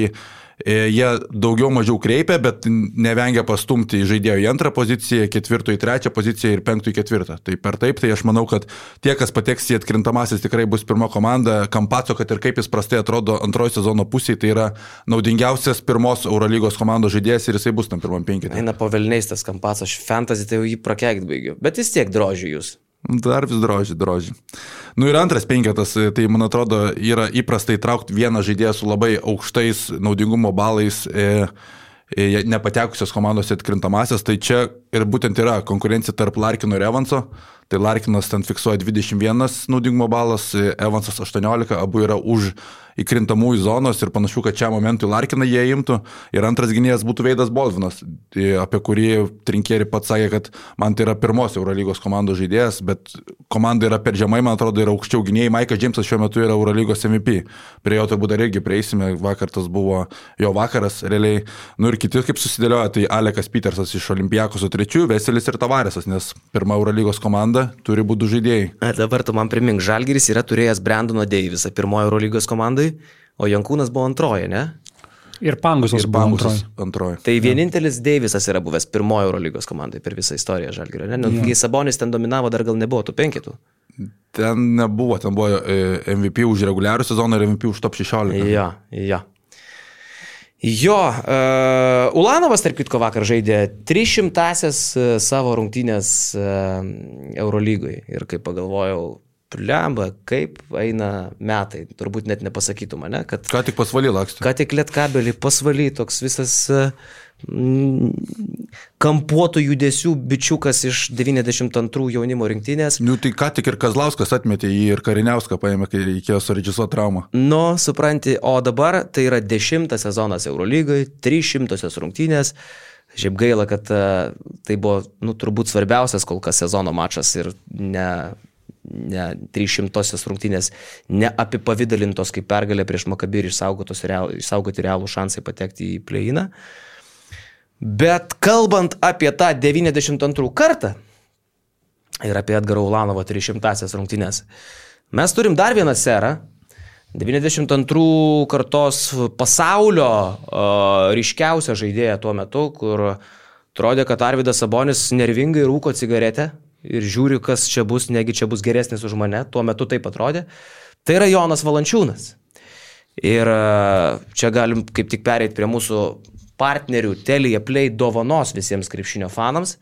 jie daugiau mažiau kreipia, bet nevengia pastumti žaidėjo į 2 poziciją, 4 į 3 poziciją ir 5 į 4. Tai per taip, tai aš manau, kad tie, kas pateks į atkrintamasis, tikrai bus pirma komanda. Kampaco, kad ir kaip jis prastai atrodo antrojo sezono pusėje, tai yra naudingiausias pirmos Eurolygos komandos žaidėjas ir jisai bus tam pirmam 5. Eina po velniais tas Kampaco, aš fantasy tai jau jį prakeikt baigiu, bet vis tiek drožiu jūs. Dar vis droži. Nu ir antras penketas, tai man atrodo yra įprastai traukti vieną žaidėją su labai aukštais naudingumo balais, nepatekusios komandos atkrintamasias, tai čia ir būtent yra konkurencija tarp Larkino ir Evanso. Tai Larkinas ten fiksuoja 21 naudingumo balas, Evansas 18, abu yra už įkrintamųjų zonos ir panašu, kad čia momentui Larkiną jie imtų. Ir antras gynėjas būtų Veidas Baldvinas, apie kurį Trinkieri pats sakė, kad man tai yra pirmos Eurolygos komandos žaidėjas, bet komanda yra per žemai, man atrodo, yra aukščiau gynėjai. Maikas Džeimsas šiuo metu yra Eurolygos MVP. Prie jo turbūt dar irgi prieisime, vakar tas buvo jo vakaras realiai. Nu ir kiti kaip susidėlioja, tai Alekas Petersas iš Olimpiakoso 3, Veselis ir Tavaresas, nes pirma Eurolygos komanda turi būti žaidėjai. Dabar tu man primink, Žalgiris yra turėjęs Brandoną Deivisą pirmojo Eurolygos komandai, o Jankūnas buvo antroji, ne? Ir Pangusas buvo antroji. Tai vienintelis Deivisas yra buvęs pirmojo Eurolygos komandai per visą istoriją Žalgirio, ne? Kai Sabonis ten dominavo, dar gal nebuvo tų penketų. Ten nebuvo, ten buvo MVP už reguliarų sezoną ir MVP už top 16. Jo, Ulanovas, tarp kitko, vakar žaidė 300-asias savo rungtynės Eurolygoj ir kaip pagalvojau, plemba, kaip eina metai, turbūt net nepasakytų mane, kad... Ką tik pasvaly lakstė. Ką tik Lietkabelį pasvaly, toks visas kampuotų judesių bičiukas iš 92 jaunimo rinktinės. Nu, tai ką tik ir Kazlauskas atmetė jį ir Kariniauską paėmė, kai reikėjo surežisuoti traumą. Nu, supranti, o dabar tai yra 10 sezonas Eurolygai, 300 rungtynės. Šiaip gaila, kad tai buvo, nu, turbūt svarbiausias kol kas sezono mačas ir ne 300 rungtynės neapipavidalintos kaip pergalė prieš Makabį ir išsaugoti realų šansai patekti į play-iną. Bet kalbant apie tą 92 kartą ir apie Edgarą Ulanovą 300 rungtynės, mes turim dar vieną serą, 92 kartos pasaulio ryškiausią žaidėją tuo metu, kur atrodė, kad Arvydas Sabonis nervingai rūko cigaretę ir žiūri, kas čia bus, negi čia bus geresnis už mane, tuo metu taip atrodė. Tai yra Jonas Valančiūnas. Ir čia galim kaip tik pereiti prie mūsų partnerių Telia Play dovanos visiems krepšinio fanams.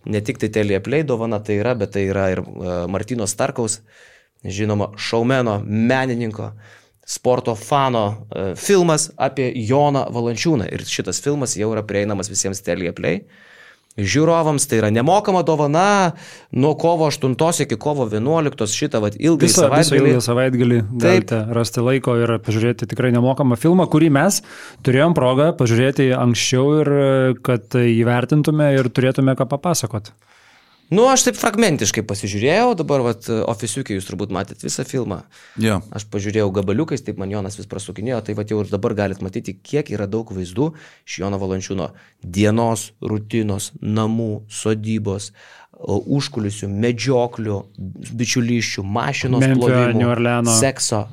Ne tik tai Telia Play dovana tai yra, bet tai yra ir Martyno Starkaus, žinoma, šaumeno, menininko, sporto fano filmas apie Joną Valančiūną. Ir šitas filmas jau yra prieinamas visiems Telia Play žiūrovams, tai yra nemokama dovana nuo kovo 8 iki kovo 11 šitą ilgą savaitgalį galite rasti laiko ir pažiūrėti tikrai nemokamą filmą, kurį mes turėjom progą pažiūrėti anksčiau ir kad įvertintume ir turėtume ką papasakoti. Nu, aš taip fragmentiškai pasižiūrėjau, dabar ofisiukiai jūs turbūt matėt visą filmą. Yeah. Aš pažiūrėjau gabaliukais, taip man Jonas vis prasukinėjo, tai jau ir dabar galit matyti, kiek yra daug vaizdų iš Jono Valančiūno dienos, rutinos, namų, sodybos, užkulisių, medžioklių, bičiulyščių, mašinos plovimo, sekso,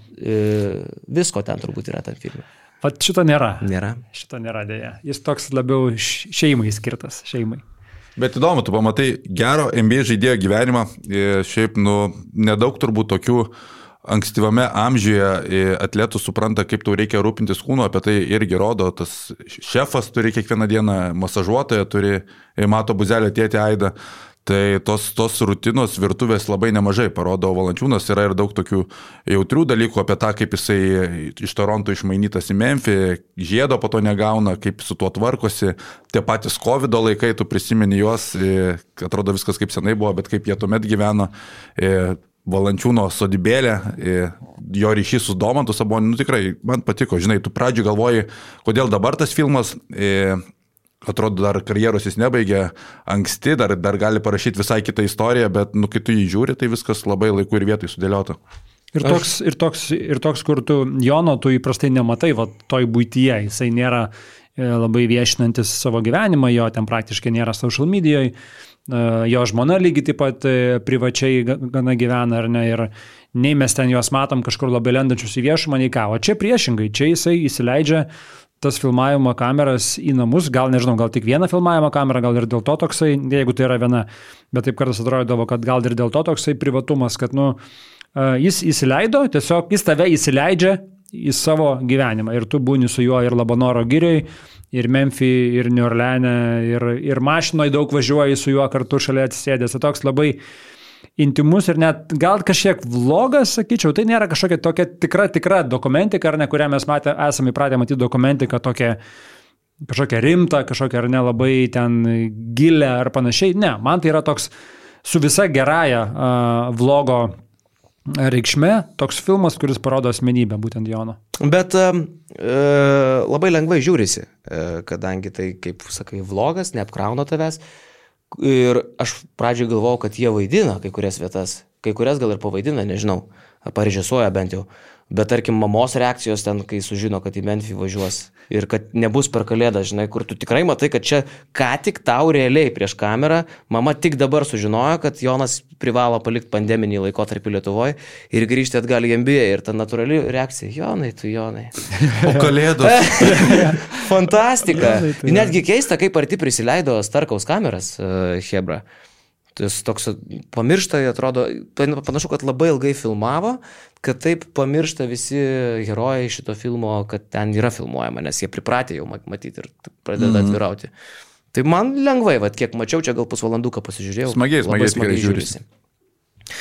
visko ten turbūt yra tam filme. Vat šito nėra. Šito nėra dėja. Jis toks labiau šeimai skirtas, šeimai. Bet įdomu, tu pamatai gero NBA žaidėjo gyvenimą, šiaip, nedaug turbūt tokių ankstyvame amžiuje atletų supranta, kaip tau reikia rūpintis kūnu, apie tai irgi rodo, tas šefas turi kiekvieną dieną masažuotoją, turi Mato Buzelio tėtį Aidą, tai tos rutinos virtuvės labai nemažai parodo Valančiūnas, yra ir daug tokių jautrių dalykų apie tą, kaip jisai iš Toronto išmainytas į Memphį, žiedo po to negauna, kaip su tuo tvarkosi, tie patys COVID laikai, tu prisimeni juos, atrodo viskas kaip senai buvo, bet kaip jie tuomet gyveno, Valančiūno sodybėlė, jo ryšys su Domantu Saboniu, tikrai man patiko, žinai, tu pradžioj galvoji, kodėl dabar tas filmas, atrodo, dar karjeros jis nebaigė anksti, dar gali parašyti visai kitą istoriją, bet kai tu jį žiūri, tai viskas labai laiku ir vietoj sudėliota. Ir toks, kur tu Jono, tu įprastai nematai, toj buityje, jisai nėra labai viešinantis savo gyvenimą, jo ten praktiškai nėra social medijoje, jo žmona lygiai taip pat privačiai gana gyvena, ar ne, ir nei mes ten juos matom kažkur labai lendančius į viešumą, nei ką, o čia priešingai, čia jisai įsileidžia tas filmavimo kameras į namus, gal nežinau, gal tik vieną filmavimo kamerą, gal ir dėl to toksai, jeigu tai yra viena, bet taip kartais atrodavo, kad gal ir dėl to toksai privatumas, kad jis įsileido, tiesiog jis tave įsileidžia į savo gyvenimą ir tu būni su juo ir Labanoro girioj, ir Memphį, ir New Orleane, ir mašinoje daug važiuoji su juo kartu šalia atsisėdęs, tai toks labai intimus ir net gal kažkiek vlogas, sakyčiau, tai nėra kažkokia tokia tikra dokumentika, ar ne, kurią mes esame įpratę matyti dokumentiką tokia kažkokia rimta, kažkokia ar nelabai ten gilė ar panašiai. Ne, man tai yra toks su visa gerąja vlogo reikšme, toks filmas, kuris parodo asmenybę būtent Jono. Bet labai lengvai žiūrisi, kadangi tai, kaip sakai, vlogas, neapkrauna tavęs. Ir aš pradžioj galvojau, kad jie vaidina kai kurias vietas, kai kurias gal ir pavaidina, nežinau, ar parežisuoja bent jau. Bet tarkim, mamos reakcijos ten, kai sužino, kad į Memphį važiuos ir kad nebus per kalėdą, žinai, kur tu tikrai matai, kad čia ką tik tau realiai prieš kamerą, mama tik dabar sužinojo, kad Jonas privalo palikti pandeminį laikotarpį Lietuvoje ir grįžti atgal į NBA ir ta natūrali reakcija, Jonai, tu Jonai. O kalėdos. Fantastika. Netgi keista, kaip arti prisileido Starkaus kameras, Hebra. Tas toks pamiršta, atrodo, panašu, kad labai ilgai filmavo, kad taip pamiršta visi herojai šito filmo, kad ten yra filmuojama, nes jie pripratė jau matyti ir pradeda atvirauti. Tai man lengvai, kiek mačiau, čia gal pusvalanduką pasižiūrėjau. Smagiai žiūrisi.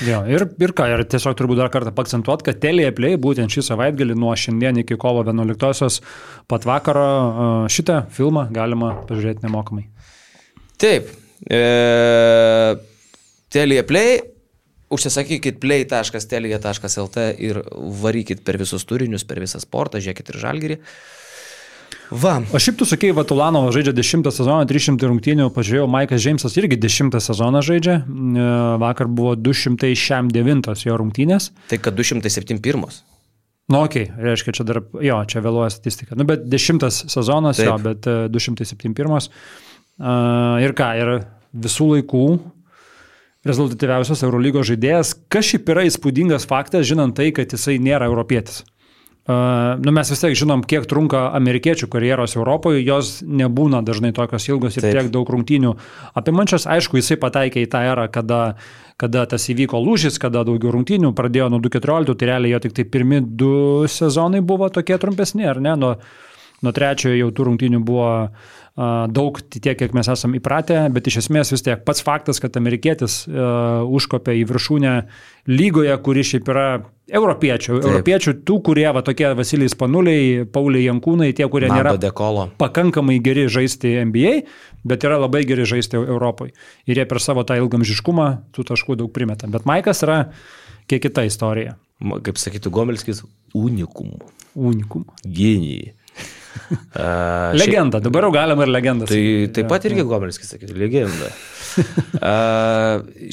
Jo, ir ką, ir tiesiog turbūt dar kartą pakcentuot, kad Telia Play būtent šį savaitgalį nuo šiandien iki kovo 11-osios pat vakaro šitą filmą galima pažiūrėti nemokamai. Taip. Telia Play, užsisakykit play.telia.lt ir varykit per visus turinius, per visą sportą, žiūrėkit ir Žalgirį. Va. O šiaip tu sakei, Vatulanovas žaidžia 10 sezoną, 300 rungtynių, pažiūrėjau, Maikas Džeimsas irgi 10 sezoną žaidžia, vakar buvo 209 jo rungtynės. Tai kad 271. Nu, okei, reiškia, čia dar, jo, čia vėluoja statistika. Nu, bet 10 sezonas, taip. Jo, bet 271. Ir ką, ir visų laikų rezultatyviausias Eurolygos žaidėjas, kas šiaip yra įspūdingas faktas, žinant tai, kad jisai nėra europietis. Mes vis tiek žinom, kiek trunka amerikiečių karjeros Europoje, jos nebūna dažnai tokios ilgos ir taip. Tiek daug rungtynių apimančios. Aišku, jisai pataikė į tą erą, kada tas įvyko lūžis, kada daugiau rungtynių pradėjo nuo 2014, tai realiai jo tik tai pirmi 2 sezonai buvo tokie trumpesni, ar ne? Nuo trečiojo jau tų rungtynių buvo daug tiek, kiek mes esam įpratę, bet iš esmės vis tiek pats faktas, kad amerikietis užkopė į viršūnę lygoje, kuri šiaip yra europiečių, tų, kurie tokie Vasilijai Spanuliai, Pauliai Jankūnai, tie, kurie nėra pakankamai geri žaisti NBA, bet yra labai geri žaisti Europoje. Ir jie per savo tą ilgamžiškumą tų taškų daug primeta. Bet Maikas yra kiek kita istorija. Kaip sakytų Gomelskis, unikum. Genijai. Legenda, dabar jau galima ir legendas. Tai taip pat irgi Gomelskis sakytų, legenda.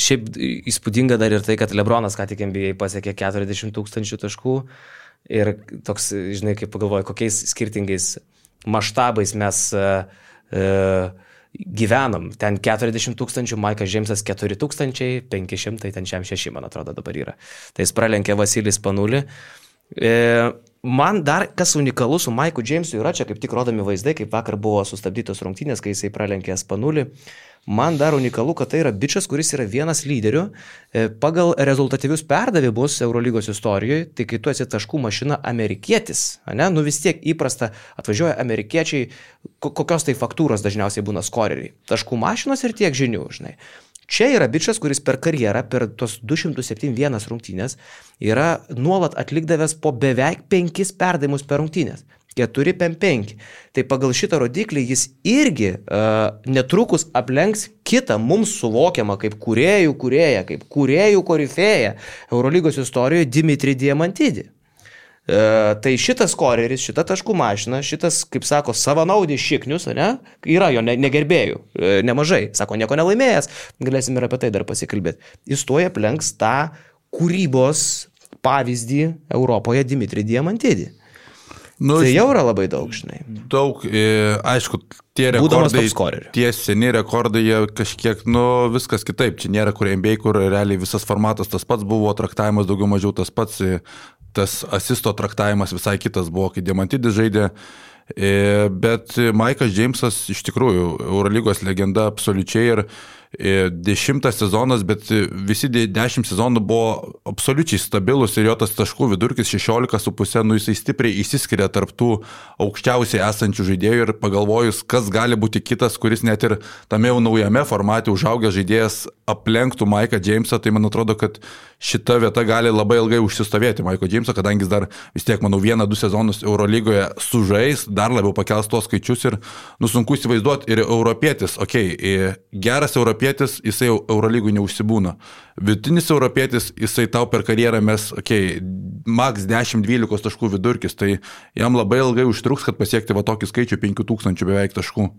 Šiaip įspūdinga dar ir tai, kad Lebronas ką tik NBA pasiekė 40 000 taškų ir toks, žinai, kaip pagalvoju, kokiais skirtingais maštabais mes gyvenam. Ten 40 000, Maikas Džeimsas 4 500, ten šiam 6, man atrodo, dabar yra. Tai jis pralenkė Vasilijų Spanulį. Man dar kas unikalu su Maiku Džeimsu yra, čia kaip tik rodomi vaizdai, kaip vakar buvo sustabdytos rungtynės, kai jisai pralenkė Spanulį. Man dar unikalu, kad tai yra bičas, kuris yra vienas lyderių. Pagal rezultatyvius perdavimus Eurolygos istorijoje, tai kai tu esi taškų mašina amerikietis, ne? Nu vis tiek įprasta atvažiuoja amerikiečiai, kokios tai faktūros dažniausiai būna skoreriai. Taškų mašinos ir tiek žinių, žinai. Čia yra bičas, kuris per karjerą, per tos 271 rungtynės, yra nuolat atlikdavęs po beveik 5 perdavimus per rungtynės. 4-5. Tai pagal šitą rodiklį jis irgi netrukus aplenks kitą mums suvokiamą kaip kūrėjų korifėją Eurolygos istorijoje Dimitri Diamantidį. Tai šitas skoreris, šita taškų mašina, šitas, kaip sako, savanaudis šiknius, ne? Yra jo negerbėjų, nemažai. Sako, nieko nelaimėjęs, galėsim ir apie tai dar pasikalbėti. Jis toje aplenks tą kūrybos pavyzdį Europoje Dimitri Diamantidį. Tai jau yra labai daug, žinai. Daug, aišku, tie rekordai, tie seni rekordai, jie kažkiek, viskas kitaip. Čia nėra kur NBA, kur realiai visas formatas tas pats buvo, traktavimas daugiau mažiau tas pats, tas asisto traktavimas visai kitas buvo, kai Diamantidis žaidė. Bet Maikas Džeimsas iš tikrųjų Eurolygos legenda absoliučiai 10 sezonas, bet visi 10 sezonų buvo absoliučiai stabilus ir jo tas taškų vidurkis 16,5, jisai stipriai išsiskiria tarp tų aukščiausiai esančių žaidėjų ir pagalvojus, kas gali būti kitas, kuris net ir tame jau naujame formate užaugęs žaidėjas aplenktų Mike'ą Jamesą, tai man atrodo, kad šita vieta gali labai ilgai užsistovėti Mike'o Jamesą, kadangi jis dar vis tiek, manau, 1-2 sezonus Eurolygoje sužais, dar labiau pakels tuos skaičius ir sunku įsivaizduoti ir europietis, geras europietis, jisai jau Eurolygui neužsibūna. Vidutinis europietis, jisai tau per karjerą mes, max 10-12 taškų vidurkis, tai jam labai ilgai užtruks, kad pasiekti va tokį skaičių 5000 beveik taškų.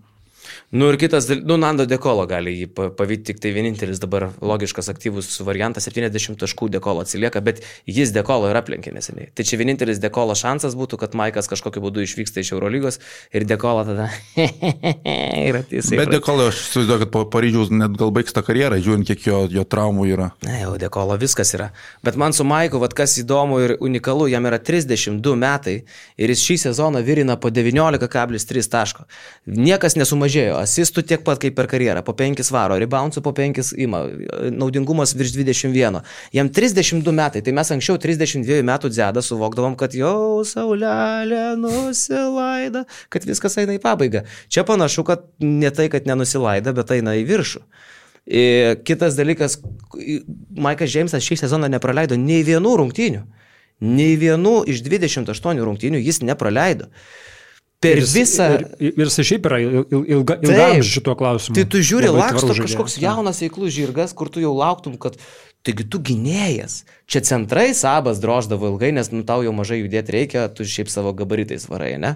Ir kitas, Nando De Colo gali jį pavyti, tik tai vienintelis dabar logiškas aktyvus variantas, 70 taškų De Colo atsilieka, bet jis De Colo ir aplenkė neseniai. Tai čia vienintelis De Colo šansas būtų, kad Mike'as kažkokiu būdu išvyksta iš Eurolygos ir De Colo tada yra tiesiai. Bet De Colo, aš įsivaizduoju, kad po Paryžiaus net gal baigs tą karjerą, žiūrint, kiek jo traumų yra. Ne, jau De Colo viskas yra. Bet man su Mike'u, kas įdomu ir unikalu, jam yra 32 metai ir jis šį sezoną virina po 19,3 taško. Niekas nesumažėjo. Asistų tiek pat kaip per karjerą, po 5 varo, reboundsų po 5 ima, naudingumas virš 21. Jam 32 metai, tai mes anksčiau 32 metų dzedą suvokdavom, kad jau saulelė nusilaida, kad viskas eina į pabaigą. Čia panašu, kad ne tai, kad nenusilaida, bet eina į viršų. Kitas dalykas, Mike'as Jamesas šį sezoną nepraleido nei vienų rungtynių. Nei vienų iš 28 rungtynių jis nepraleido. Per visą... Ir jis šiaip yra ilgam šituo klausimu. Tai tu žiūri, laksto kažkoks jaunas veiklus žirgas, kur tu jau lauktum, kad taigi tu gynėjas. Čia centrai Sabas droždavo ilgai, nes tau jau mažai judėti reikia, tu šiaip savo gabaritais varai, ne?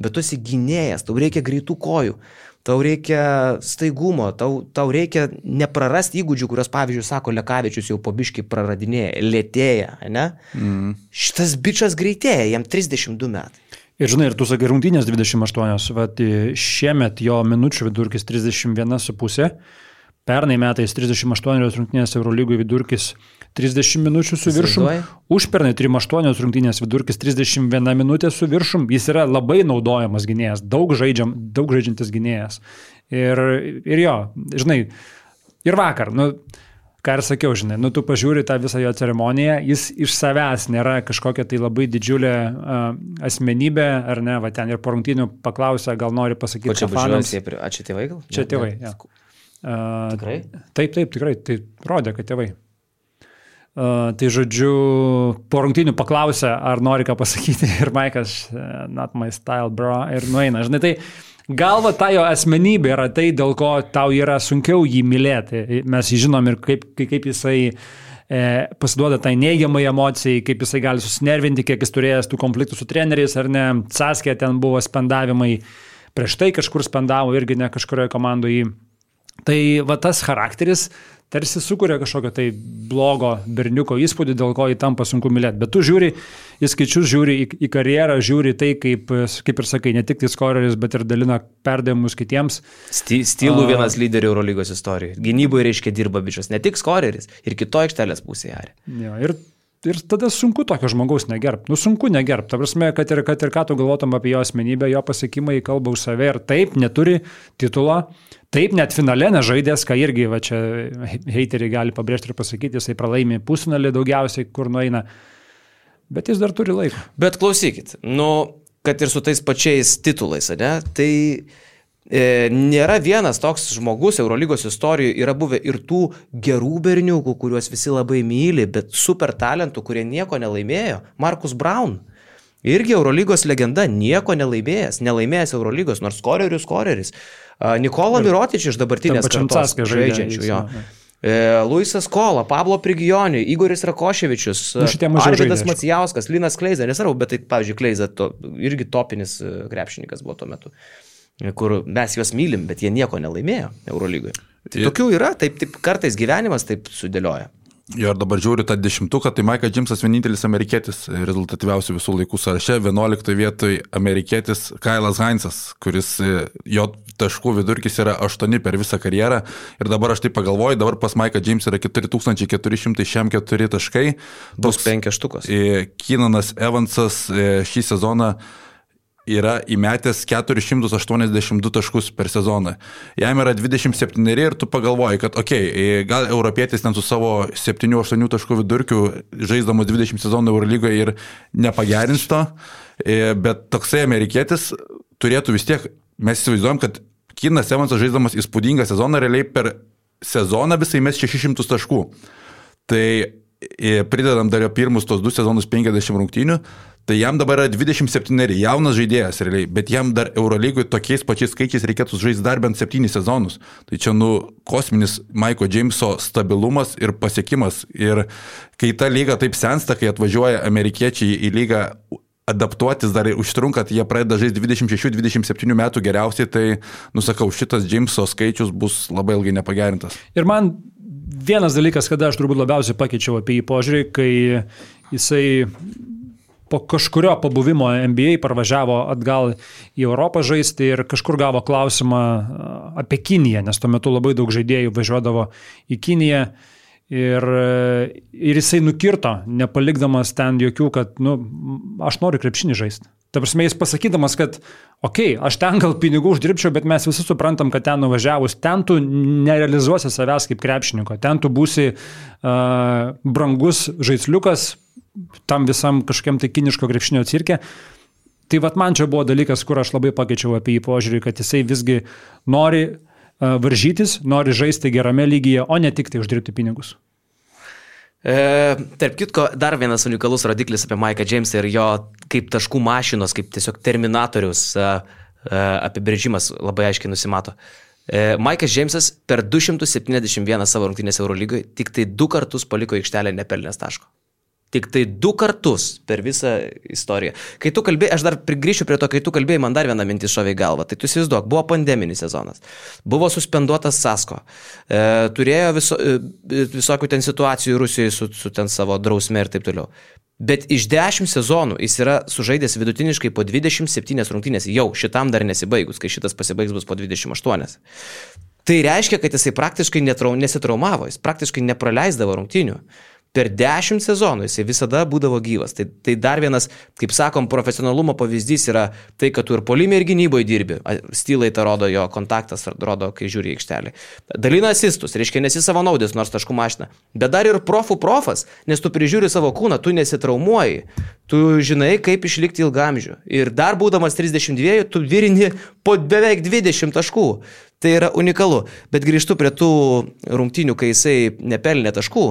Bet tu esi gynėjas, tau reikia greitų kojų, tau reikia staigumo, tau reikia neprarasti įgūdžių, kurios, pavyzdžiui, sako Lekavičius jau po biškį praradinėja, lėtėja, ne? Šitas bičas greitėja, jam 32 metai. Ir žinai, ir tu sakai rungtynės 28, vat šiemet jo minučių vidurkis 31,5, pernai metais 38 rungtynės Eurolygų vidurkis 30 minučių su viršum, užpernai 38 rungtynės vidurkis 31 minutė su viršum, jis yra labai naudojamas gynėjas, daug žaidžiantis gynėjas. Ir jo, žinai, ir vakar, ką ir sakiau, žinai, tu pažiūri tą visą jo ceremoniją, jis iš savęs nėra kažkokia tai labai didžiulė asmenybė, ar ne, va ten ir po rungtynių paklausė, gal nori pasakyti, ką fanams. A čia tėvai gal? Čia tėvai, ja. Tikrai? Taip, tikrai, tai rodė, kad tėvai. Tai žodžiu, po rungtynių paklausė, ar nori ką pasakyti, ir Mike'as, not my style, bro, ir nueina, žinai, tai galva ta jo asmenybė yra tai, dėl ko tau yra sunkiau jį mylėti. Mes jį žinom ir kaip jisai pasiduoda tai neigiamai emocijai, kaip jisai gali susinervinti, kiek jis turėjęs tų konfliktų su treneriais, ar ne. Saskė ten buvo spendavimai, prieš tai kažkur spendavo irgi ne kažkurioje komandoje. Tai va tas charakteris tarsi sukuria kažkokio tai blogo berniuko įspūdį, dėl ko jį tampa sunku mylėti. Bet tu žiūri į skaičius, žiūri į karjerą, žiūri tai, kaip ir sakai, ne tik tai skoreris, bet ir dalina perdėjimus kitiems. Stylų vienas lyderių Eurolygos istorijoje. Gynyboje reiškia dirba bičias, ne tik skoreris, ir kito aikštelės pusėje. Ja, ir tada sunku tokio žmogaus negerbt. Sunku negerbt. Ta prasme, kad ir ką tu galvotum apie jo asmenybę, jo pasiekimai kalba už save ir taip neturi titulo. Taip, net finale nežaidės, ką irgi va čia heiteriai gali pabrėžti ir pasakyti, jisai pralaimi pusfinalį daugiausiai, kur nueina, bet jis dar turi laiko. Bet klausykit, kad ir su tais pačiais titulais, ne, tai nėra vienas toks žmogus Eurolygos istorijoje, yra buvę ir tų gerų berniukų, kuriuos visi labai myli, bet super talentų, kurie nieko nelaimėjo. Marcus Brown. Irgi Eurolygos legenda, nieko nelaimėjęs Eurolygos, nors skoreris. Nikola Mirotič iš dabartinės kartos žaidžiančių. Luisas Kola, Pablo Prigioni, Igoris Rakoševičius, Arvydas Macijauskas, Linas Kleiza, nesvarbu, bet tai, pavyzdžiui, Kleiza irgi topinis krepšininkas buvo tuo metu, kur mes juos mylim, bet jie nieko nelaimėjo Eurolygoje. Tai tokių yra, taip kartais gyvenimas taip sudėlioja. Ir dabar žiūriu tą 10, tai Mike'as Jamesas vienintelis amerikietis rezultatyviausių visų laikų sąraše, 11 vietoj amerikietis Kailas Hainsas, kuris jo taškų vidurkis yra 8 per visą karjerą. Ir dabar aš taip pagalvoju, dabar pas Mike'ą Jamesą yra 4404 taškai. Bus 5 štukos. Keenanas Evansas šį sezoną yra įmetęs 482 taškus per sezoną. Jam yra 27 ir tu pagalvoji, kad gal europietis ten su savo 7-8 taškų vidurkiu žaisdamas 20 sezonų Eurolygoje ir nepagerins to, bet toksai amerikietis turėtų vis tiek, mes įsivaizduojam, kad Keenanas Evansas žaisdamas įspūdingą sezoną realiai per sezoną visai mes 600 taškų. Tai pridedam dar jo pirmus tos 2 sezonus 50 rungtynių, tai jam dabar yra 27, jaunas žaidėjas realiai, bet jam dar Eurolygoje tokiais pačiais skaičiais reikėtų žaisti dar bent 7 sezonus. Tai čia kosminis Maiko Jameso stabilumas ir pasiekimas. Ir kai ta lyga taip sensta, kai atvažiuoja amerikiečiai į lygą adaptuotis dar užtrunka, jie pradeda žaisti 26-27 metų geriausiai, tai, nusakau, šitas Jameso skaičius bus labai ilgai nepagerintas. Ir man vienas dalykas, kada aš turbūt labiausiai pakeičiau apie jį požiūrį, kai jisai po kažkurio pabuvimo NBA parvažiavo atgal į Europą žaisti ir kažkur gavo klausimą apie Kiniją, nes tuo metu labai daug žaidėjų važiuodavo į Kiniją ir jisai nukirto, nepalikdamas ten jokių, kad aš noriu krepšinį žaisti. Ta prasme, jis pasakydamas, kad aš ten gal pinigų uždirbčiau, bet mes visi suprantam, kad ten nuvažiavus, ten tu nerealizuosi savęs kaip krepšininko, ten tu būsi brangus žaisliukas tam visam kažkokiam tai kiniško krepšinio cirke. Tai man čia buvo dalykas, kur aš labai pakeičiau apie jį požiūrį, kad jisai visgi nori varžytis, nori žaisti gerame lygyje, o ne tik tai uždirbti pinigus. Tarp kitko, dar vienas unikalus rodiklis apie Maiką Jamesą ir jo kaip taškų mašinos, kaip tiesiog terminatorius apibrėžimas labai aiškiai nusimato. Maikas Jamesas per 271 savo rungtynės Eurolygoje tik tai 2 kartus paliko aikštelę nepelnęs taško. Tik tai 2 kartus per visą istoriją. Kai tu kalbėjai, aš dar prigrįšiu prie to, kai tu kalbėjai, man dar vieną mintį šovė į galvą. Tai tu įsivaizduok, buvo pandeminis sezonas, buvo suspenduotas Sasko, turėjo visokių ten situacijų Rusijoje su ten savo drausme ir taip toliau. Bet iš 10 sezonų jis yra sužaidęs vidutiniškai po 27 rungtynės, jau šitam dar nesibaigus, kai šitas pasibaigs bus po 28. Tai reiškia, kad jisai praktiškai nesitraumavo, jis praktiškai nepraleisdavo rungtynių. Per 10 sezonų jisai visada būdavo gyvas. Tai dar vienas, kaip sakom, profesionalumo pavyzdys yra tai, kad tu ir puolime ir gynyboje dirbi. Stylai tą rodo jo kontaktas, rodo, kai žiūri į aikštelį. Dalina asistus, reiškia nesi savanaudis, nors taškų mašina. Bet dar ir profas, nes tu prižiūri savo kūną, tu nesitraumuoji. Tu žinai, kaip išlikti ilgamžių. Ir dar būdamas 32, tu virini po beveik 20 taškų. Tai yra unikalu. Bet grįžtu prie tų rungtynių, kai jisai nepelnė taškų.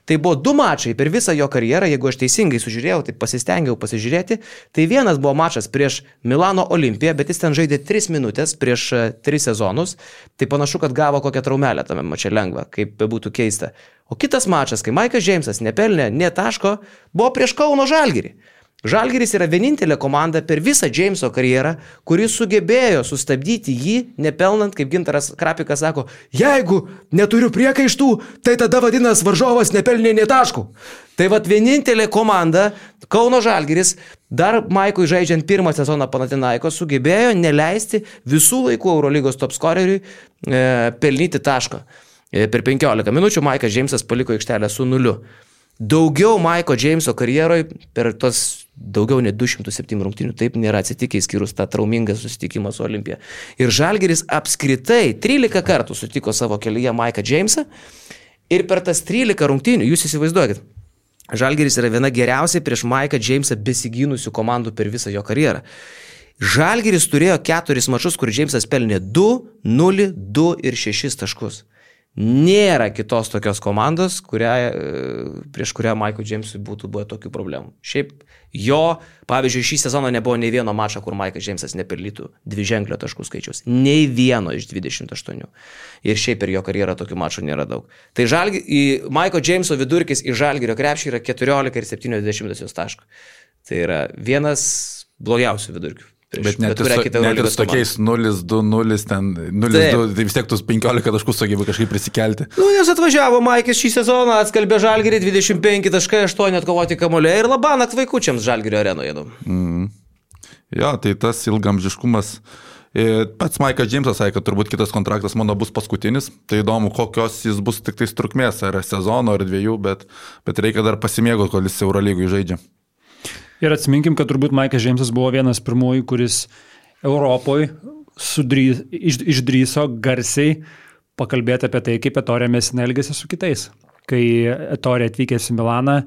Tai buvo 2 mačai per visą jo karjerą, jeigu aš teisingai sužiūrėjau, tai pasistengiau pasižiūrėti. Tai vienas buvo mačas prieš Milano Olimpiją, bet jis ten žaidė 3 minutės prieš 3 sezonus. Tai panašu, kad gavo kokią traumelę tame mače lengvą, kaip bebūtų keista. O kitas mačas, kai Maikas Jamesas nepelnė nė taško, buvo prieš Kauno Žalgirį. Žalgiris yra vienintelė komanda per visą Jameso karjerą, kuris sugebėjo sustabdyti jį, nepelnant, kaip Gintaras Krapikas sako, jeigu neturiu priekaištų, tai tada vadinas varžovas nepelnė nė taškų. Tai vienintelė komanda, Kauno Žalgiris, dar Maikui žaidžiant pirmą sezoną Panathinaikos, sugebėjo neleisti visų laikų Eurolygos top scoreriui pelnyti tašką. Per 15 minučių Maikas Jamesas paliko aikštelę su 0. Daugiau Maiko Jameso karjeroje per tos daugiau nei 207 rungtynių taip nėra atsitikę, išskyrus tą traumingą susitikimą su Olimpija. Ir Žalgiris apskritai 13 kartų sutiko savo kelyje Maiką Jamesą ir per tas 13 rungtynių, jūs įsivaizduokit, Žalgiris yra viena geriausiai prieš Maiką Jamesą besigynusių komandų per visą jo karjerą. Žalgiris turėjo 4 mačus, kur Jamesas pelnė 2, 0, 2 ir 6 taškus. Nėra kitos tokios komandos, prieš kurią Maikui Jamesui būtų buvę tokių problemų. Šiaip jo, pavyzdžiui, šį sezoną nebuvo nei vieno mačo, kur Maikas Jamesas nepelnytų 2-ženklio taškų skaičiaus. Nei vieno iš 28. Ir šiaip per jo karjerą tokių mačų nėra daug. Tai Maiko Jameso vidurkis į Žalgirio krepšį yra 14,7 taškų. Tai yra vienas blogiausių vidurkių. Bet net ir tokiais 0-2-0, ten 0-2, tai vis tiek tus 15 taškų sugebė kažkaip prisikelti. Nes atvažiavo Maikis šį sezoną, atskalbė Žalgirį 25 taškai, 8 atkovoti kamuoliai ir labanakt vaikučiams Žalgirio arenoje. Jo, tai tas ilgamžiškumas. Pats Maikas Jamesas sakė, kad turbūt kitas kontraktas mano bus paskutinis. Tai įdomu, kokios jis bus tik tais trukmės, ar sezono, ar 2, bet reikia dar pasimėgoti, kol jis Eurolygui žaidžia. Ir atsiminkim, kad turbūt Maikas Džeimsas buvo vienas pirmųjų, kuris Europoje išdryso garsiai pakalbėti apie tai, kaip Ettore Messina elgėsi su kitais. Kai Ettore atvykęs į Milaną,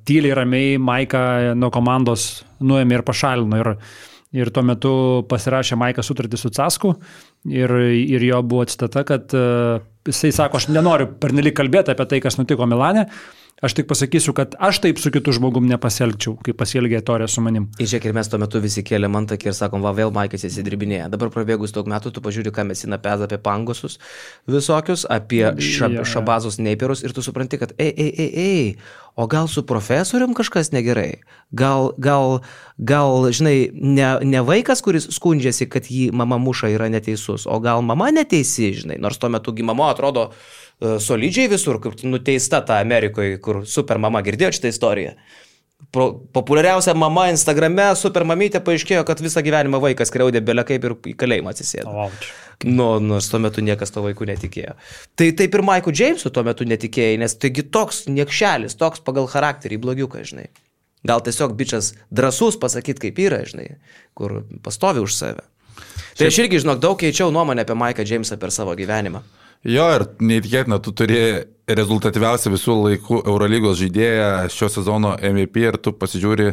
tyliai ramiai Maiką nuo komandos nuėmė ir pašalino. Ir tuo metu pasirašė Maikas sutartį su Casku ir jo buvo citata, kad jisai sako, aš nenoriu pernelyg kalbėti apie tai, kas nutiko Milane, aš tik pasakysiu, kad aš taip su kitu žmogum nepasielgčiau, kaip pasielgė Ettore su manim. Žiūrėk, ir mes tuo metu visi kėlėm antakį ir sakom, va, vėl Maikas įsidirbinėja. Dabar prabėgus daug metų, tu pažiūri, ką Messina peza apie pangosus visokius, apie šabazus neiperus ir tu supranti, kad o gal su profesorium kažkas negerai? Gal žinai, ne vaikas, kuris skundžiasi, kad jį mama muša yra neteisus, o gal mama neteisi, žinai, nors tuo metu mama atrodo solidžiai visur, kaip nuteista ta Amerikoje, kur super mama, girdėjo šitą istoriją. Populiariausia mama Instagrame, super mamytė, paaiškėjo, kad visą gyvenimą vaikas skriaudė belė kaip ir į kalėjimą atsisėdo. Nors tuo metu niekas to vaikų netikėjo. Tai taip ir Maiku Džeimsu tuo metu netikėjai, nes taigi toks niekšelis, toks pagal charakterį blogiukas, žinai. Gal tiesiog bičias drąsus pasakyti, kaip yra, žinai, kur pastovi už save. Tai aš irgi, žinok, daug keičiau nuomonę apie Maiką Džeimsą per savo gyvenimą. Jo, ir neįtikėtina, tu turi rezultatyviausią visų laikų Eurolygos žaidėją šio sezono MVP ir tu pasižiūri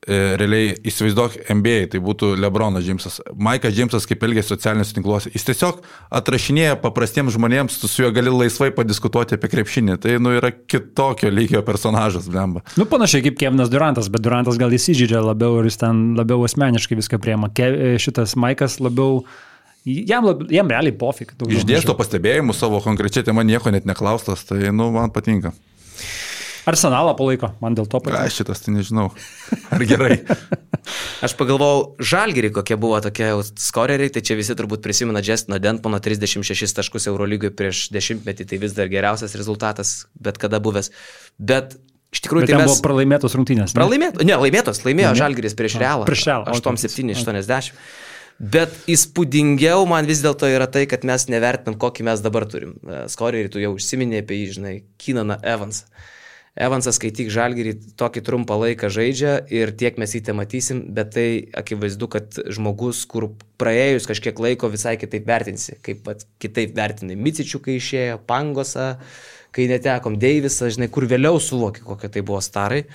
realiai, įsivaizduok NBA, tai būtų LeBronas Džeimsas. Maikas Džeimsas kaip elgėsi socialiniuose tinkluose. Jis tiesiog atrašinėja paprastiems žmonėms, tu su juo gali laisvai padiskutuoti apie krepšinį. Tai yra kitokio lygio personažas, blemba. Panašiai kaip Kevinas Durantas, bet Durantas gal įsižydžia labiau ir jis ten labiau asmeniškai viską priema. Šitas Maikas labiau Jam realiai pofik. Išdėsto pastebėjimų savo konkrečiai tema nieko net neklaustas, tai man patinka. Arsenalą palaiko, man dėl to patinka. Šitas tai nežinau. Ar gerai? Aš pagalvojau, Žalgirį, kokie buvo tokie skoreriai, tai čia visi turbūt prisimena Justino Dentmono 36 taškus Eurolygoje prieš 10 metį, tai vis dar geriausias rezultatas, bet kada buvęs. Bet iš tikrųjų tai buvo pralaimėtos rungtynės. Laimėjo Žalgiris prieš Realą. 8-7-80. Bet įspūdingiau man vis dėlto yra tai, kad mes nevertinam, kokį mes dabar turim. Skorerį, tu jau užsiminė apie jį, žinai, Keenaną Evansą. Evansas, kai tik Žalgirį tokį trumpą laiką žaidžia ir tiek mes jį te matysim, bet tai akivaizdu, kad žmogus, kur praėjus kažkiek laiko visai kitaip vertinsi, kaip kitaip vertinai Micičių, kai išėjo, Pangosą, kai netekom Deivisą, žinai, kur vėliau suvoki, kokie tai buvo starai.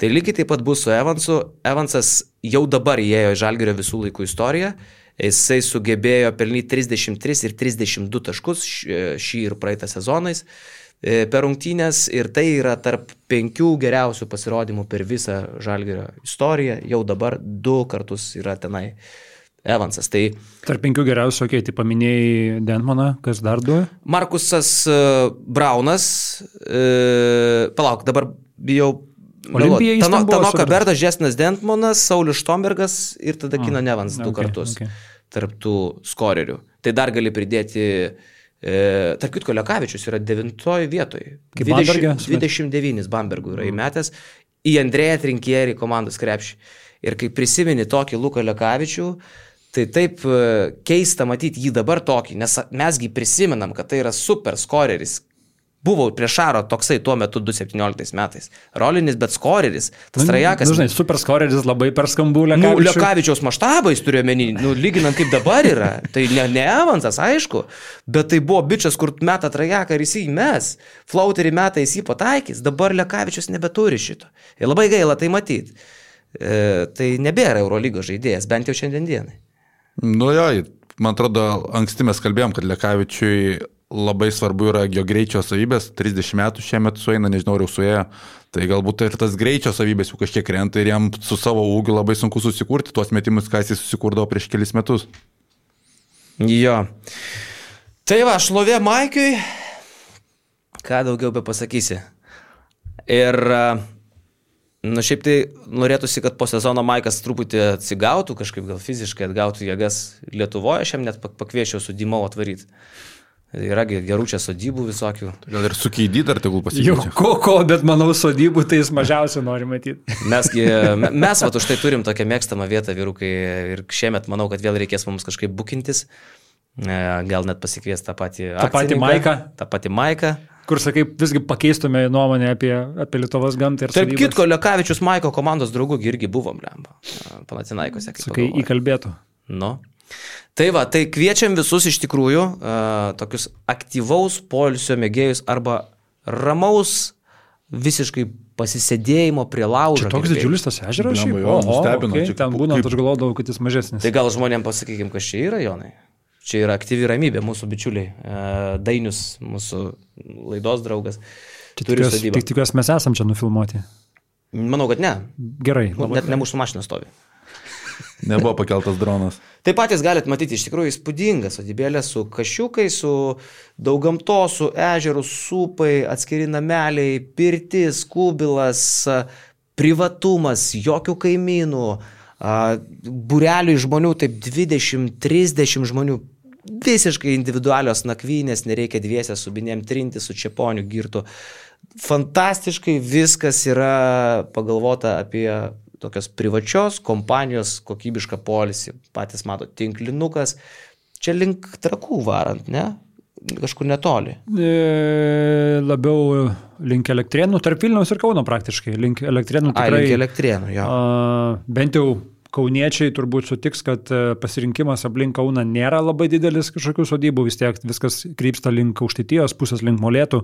Tai lygiai taip pat bus su Evansu. Evansas jau dabar įėjo į Žalgirio visų laikų istoriją. Jisai sugebėjo pelnyti 33 ir 32 taškus šį ir praeitą sezonais per rungtynės. Ir tai yra tarp 5 geriausių pasirodymų per visą Žalgirio istoriją. Jau dabar 2 kartus yra tenai Evansas. Tai tarp 5 geriausių, tai paminėjai Dentmoną, kas dar 2? Markusas Braunas. Palauk, dabar bijau. Tanoka Bertas, Justinas Dentmonas, Saulius Štombergas ir tada Keenan Evans 2 kartus tarp tų skorerių. Tai dar gali pridėti, tarp kitko Lekavičius yra 9 vietoje. 29 Bambergų yra įmetęs į Andrėją Trinkierį komandos krepšį. Ir kai prisimeni tokį Luką Lekavičių, tai taip keista matyti jį dabar tokį, nes mesgi prisimenam, kad tai yra super skoreris. Buvo prieš Šaro toksai tuo metu 2017 metais. Rolinis, bet skoreris. Tas Trajakas. Žinai, super skoreris labai per skambų Lekavičių. Lekavičiaus maštabais turiu omeny, lyginant kaip dabar yra. Tai ne Evansas, aišku, bet tai buvo bičias, kur meta Trajaką ir jis įmes. Flauterį meta jis jį pataikys. Dabar Lekavičius nebeturi šito. Ir labai gaila tai matyti. Tai nebėra Eurolygos žaidėjas, bent jau šiandien dienai. Man atrodo, anksti mes kalbėjom, kad Lekavičiui labai svarbu yra jo greičio savybės, 30 metų šiemet sueina, nežinau, ar jau suėjo, tai galbūt ir tas greičio savybės jau kažkiek krenta ir jam su savo ūgiu labai sunku susikurti tuos metimus, ką jis susikurdavo prieš kelis metus. Jo. Tai va, šlovė Maikiui, ką daugiau be pasakysi. Ir, šiaip tai norėtųsi, kad po sezono Maikas truputį atsigautų, kažkaip gal fiziškai atgautų jėgas Lietuvoje, aš jam net pakviečiau su Dymau atvaryti. Yra gerų čia sodybų visokių. Gal ir su Keidį dar tegul pasikeičia. Jau bet manau sodybų tai jis mažiausiai nori matyti. Mes už tai turim tokią mėgstamą vietą, vyrukai, ir šiemet manau, kad vėl reikės mums kažkaip bukintis. Gal net pasikvies tą patį Maiką. tą patį Maiką. kur sakai, visgi pakeistume nuomonę apie Lietuvos gamtą ir Tarp kitko, Lekavičius Maiko komandos draugų irgi buvom, lemba, Panathinaikose. Sakai, įkalbėtų. Nu. Tai va, tai kviečiam visus iš tikrųjų tokius aktyvaus poilsio mėgėjus arba ramaus visiškai pasisėdėjimo prie laužo. Čia toks didžiulis tas ežeras? Nustebino. Ten būnant aš galvodavau, kad jis mažesnis. Tai gal žmonėms pasakykim, kas čia yra, Jonai? Čia yra aktyvi ramybė, mūsų bičiuliai. Dainius, mūsų laidos draugas. Tik tikiuosi mes esam čia nufilmuoti. Manau, kad ne. Gerai. Net ne mūsų mašina stovi. Nebuvo pakeltas dronas. Taip patys galite matyti, iš tikrųjų įspūdingas sodybėlė su kašiukais, su daug gamtos, su ežerų, supai, atskiri nameliai, pirtis, kubilas, privatumas, jokių kaimynų, būrelių žmonių, taip 20-30 žmonių, visiškai individualios nakvynės, nereikia dviesę su binėm trinti, su čeponiu girtu. Fantastiškai viskas yra pagalvota apie tokios privačios kompanijos kokybišką polisį. Patys mato, tinklinukas. Čia link Trakų varant, ne? Kažkur netoli. Labiau link Elektrėnų, tarp Vilniaus ir Kauno praktiškai. Link Elektrėnų tikrai. Link Elektrėnų, jo. Bent jau kauniečiai turbūt sutiks, kad pasirinkimas aplink Kauną nėra labai didelis kažkokių sodybų, vis tiek viskas krypsta link Aukštaitijos pusės, link Molėtų.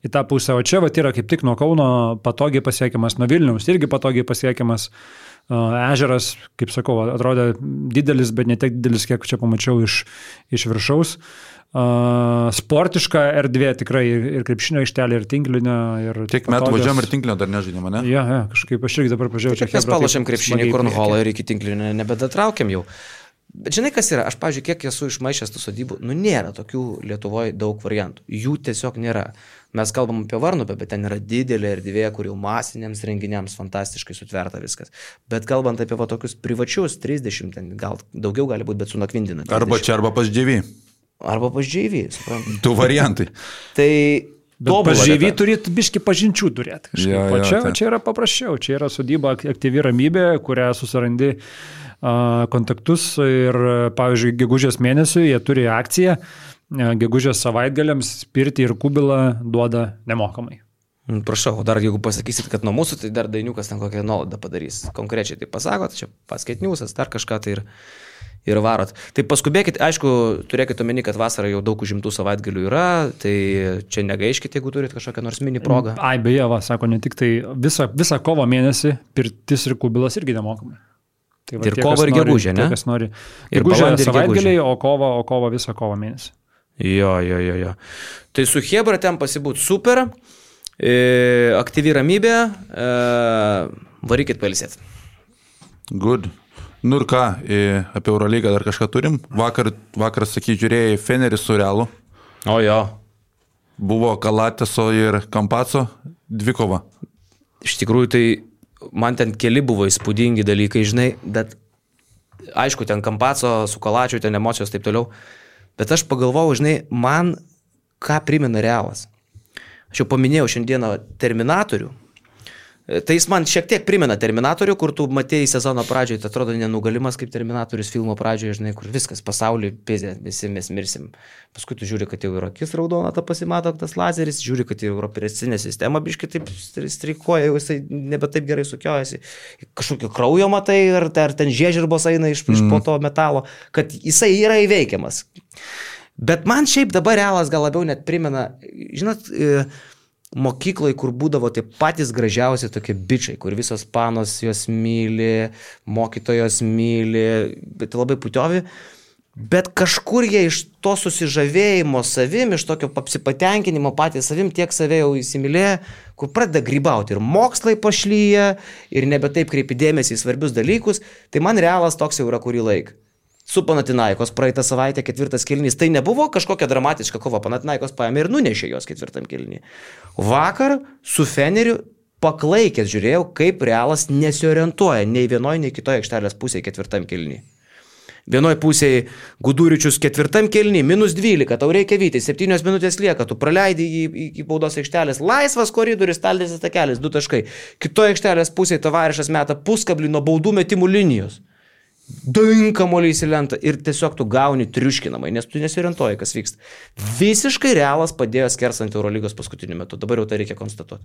Į tą pusę, o čia yra kaip tik nuo Kauno patogiai pasiekiamas, nuo Vilniaus irgi patogiai pasiekiamas. Ežeras, kaip sakau, atrodė didelis, bet ne tiek didelis, kiek čia pamačiau iš viršaus. Sportiška erdvė tikrai ir krepšinio aikštelė, ir tinklinio. Tiek metų važiuojam ir tinklinio dar nežaidėme, ne? Ja, kažkaip aš irgi dabar pažiūrėjau. Čia mes palašėm krepšinį, kornholą ir iki tinklinio nebedatraukiam jau. Bet žinai, kas yra? Aš, pavyzdžiui, kiek esu išmaišęs tų sodybų, nėra tokių Lietuvoje daug variantų. Jų tiesiog nėra. Mes kalbam apie Varnupę, bet ten yra didelė erdvė, kur jau masiniams renginiams fantastiškai sutverta viskas. Bet kalbant apie tokius privačius, 30, ten gal daugiau gali būti, bet su nakvindina. 30. Arba čia, arba pas Džiavį. Arba pas Džiavį, suprantu. Du variantai. Tai pas Džiavį turėtų biški pažinčių turėti. O čia yra paprasčiau. Čia yra sodyba aktyvi ramybė, kurią susirandi kontaktus ir, pavyzdžiui, gegužės mėnesiui jie turi akciją, gegužės savaitgaliams pirtį ir kubilą duoda nemokamai. Prašau, dar jeigu pasakysit, kad nuo mūsų, tai dar Dainiukas ten kokią nuolaidą padarys. Konkrečiai tai pasakot, čia paskaitniusas, dar kažką tai ir varot. Tai paskubėkit, aišku, turėkit omeny, kad vasarą jau daug užimtų savaitgalių yra, tai čia negaiškit, jeigu turit kažkokią nors mini progą. Beje, sako, ne tik tai visą kovo mėnesį pirtis ir kubilas irgi nemokamai. Tai ir kovo ir gegužė, ne? Kas nori. Gegužė savaitgaliai, o kovo visą kovo mėnesį. Jo. Tai su Hebra ten pasibūt super, aktyvi ramybė, varykit pailsėti. Good. Nu ir ką, apie Eurolygą dar kažką turim? Vakar sakai, žiūrėjai Fenerį su Realu. O jo. Buvo Kalateso ir Kampaco dvikova. Iš tikrųjų, tai man ten keli buvo įspūdingi dalykai, žinai, bet aišku, ten Kampaco, su Kalačiu, ten emocijos taip toliau, bet aš pagalvojau, žinai, man ką primena Realas. Aš jau paminėjau šiandieną Terminatorių, tai jis man šiek tiek primena Terminatorių, kur tu matėjai sezono pradžioje, tai atrodo nenugalimas kaip Terminatorius filmo pradžioje, žinai, kur viskas pasaulyje pizė, visi mes mirsim. Paskui tu žiūri, kad jau yra akis raudona, ta pasimato tas lazeris, žiūri, kad jau yra operacinė sistema, biškai taip streikuoja, jau jisai nebe taip gerai sukiojasi. Kažkokio kraujo matai, ar ten žiežirbos eina iš po to metalo, kad jisai yra įveikiamas. Bet man šiaip dabar Realas gal labiau net primena, žinot, mokyklai, kur būdavo tie patys gražiausi tokie bičiai, kur visos panos jos myli, mokytojos myli, bet labai putiovi. Bet kažkur jie iš to susižavėjimo savim, iš tokio apsipatenkinimo patys savim, tiek save jau įsimylėję, kur pradeda grybauti ir mokslai pašlyja, ir nebe taip kreipi dėmesį į svarbius dalykus, tai man Realas toks jau yra kurį laiką. Su Panathinaikos praeitą savaitę 4 kėlinys. Tai nebuvo kažkokia dramatiška kova. Panathinaikos paėmė ir nunešė jos 4 kėlinį. Vakar su Feneriu paklaikęs žiūrėjau, kaip Realas nesiorientuoja nei vienoje, nei kitoje aikštelės pusėje 4 kėlinį. Vienoje pusėje Guduričius 4 kėlinį, -12, tau reikia vyti, 7 minutės lieka, tu praleidi į baudos aikštelės, laisvas koridorius, staltinis takelis, 2 taškai. Kitoje aikštelės pusėje Tavarišas meta puskablį nuo baudų metimų linijos. dinkamoliai į lentą ir tiesiog tu gauni triuškinamai, nes tu nesiorientuoji, kas vyksta. Visiškai Realas padėjo skersant Eurolygos paskutiniu metu, dabar jau tai reikia konstatuoti.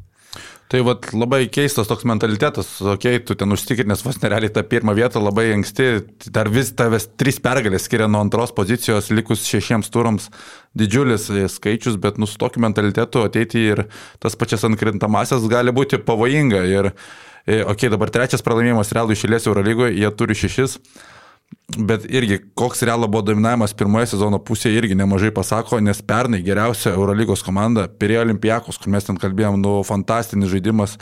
Tai vat, labai keistas toks mentalitetas, tu ten užtikrinęs vos nerealiai tą pirmą vietą labai anksti, dar vis tavęs 3 pergalės skiria nuo antros pozicijos likus 6 turams, didžiulis skaičius, bet su tokiu mentalitetu ateiti ir tas pačias atkrintamasias gali būti pavojinga ir dabar 3 pralaimėjimas Realui išėlės Eurolygoje, jie turi 6, bet irgi koks Realo buvo dominavimas pirmoje sezono pusėje irgi nemažai pasako, nes pernai geriausia Eurolygos komanda Pirėjo Olympiakos, kur mes ten kalbėjom, fantastinis žaidimas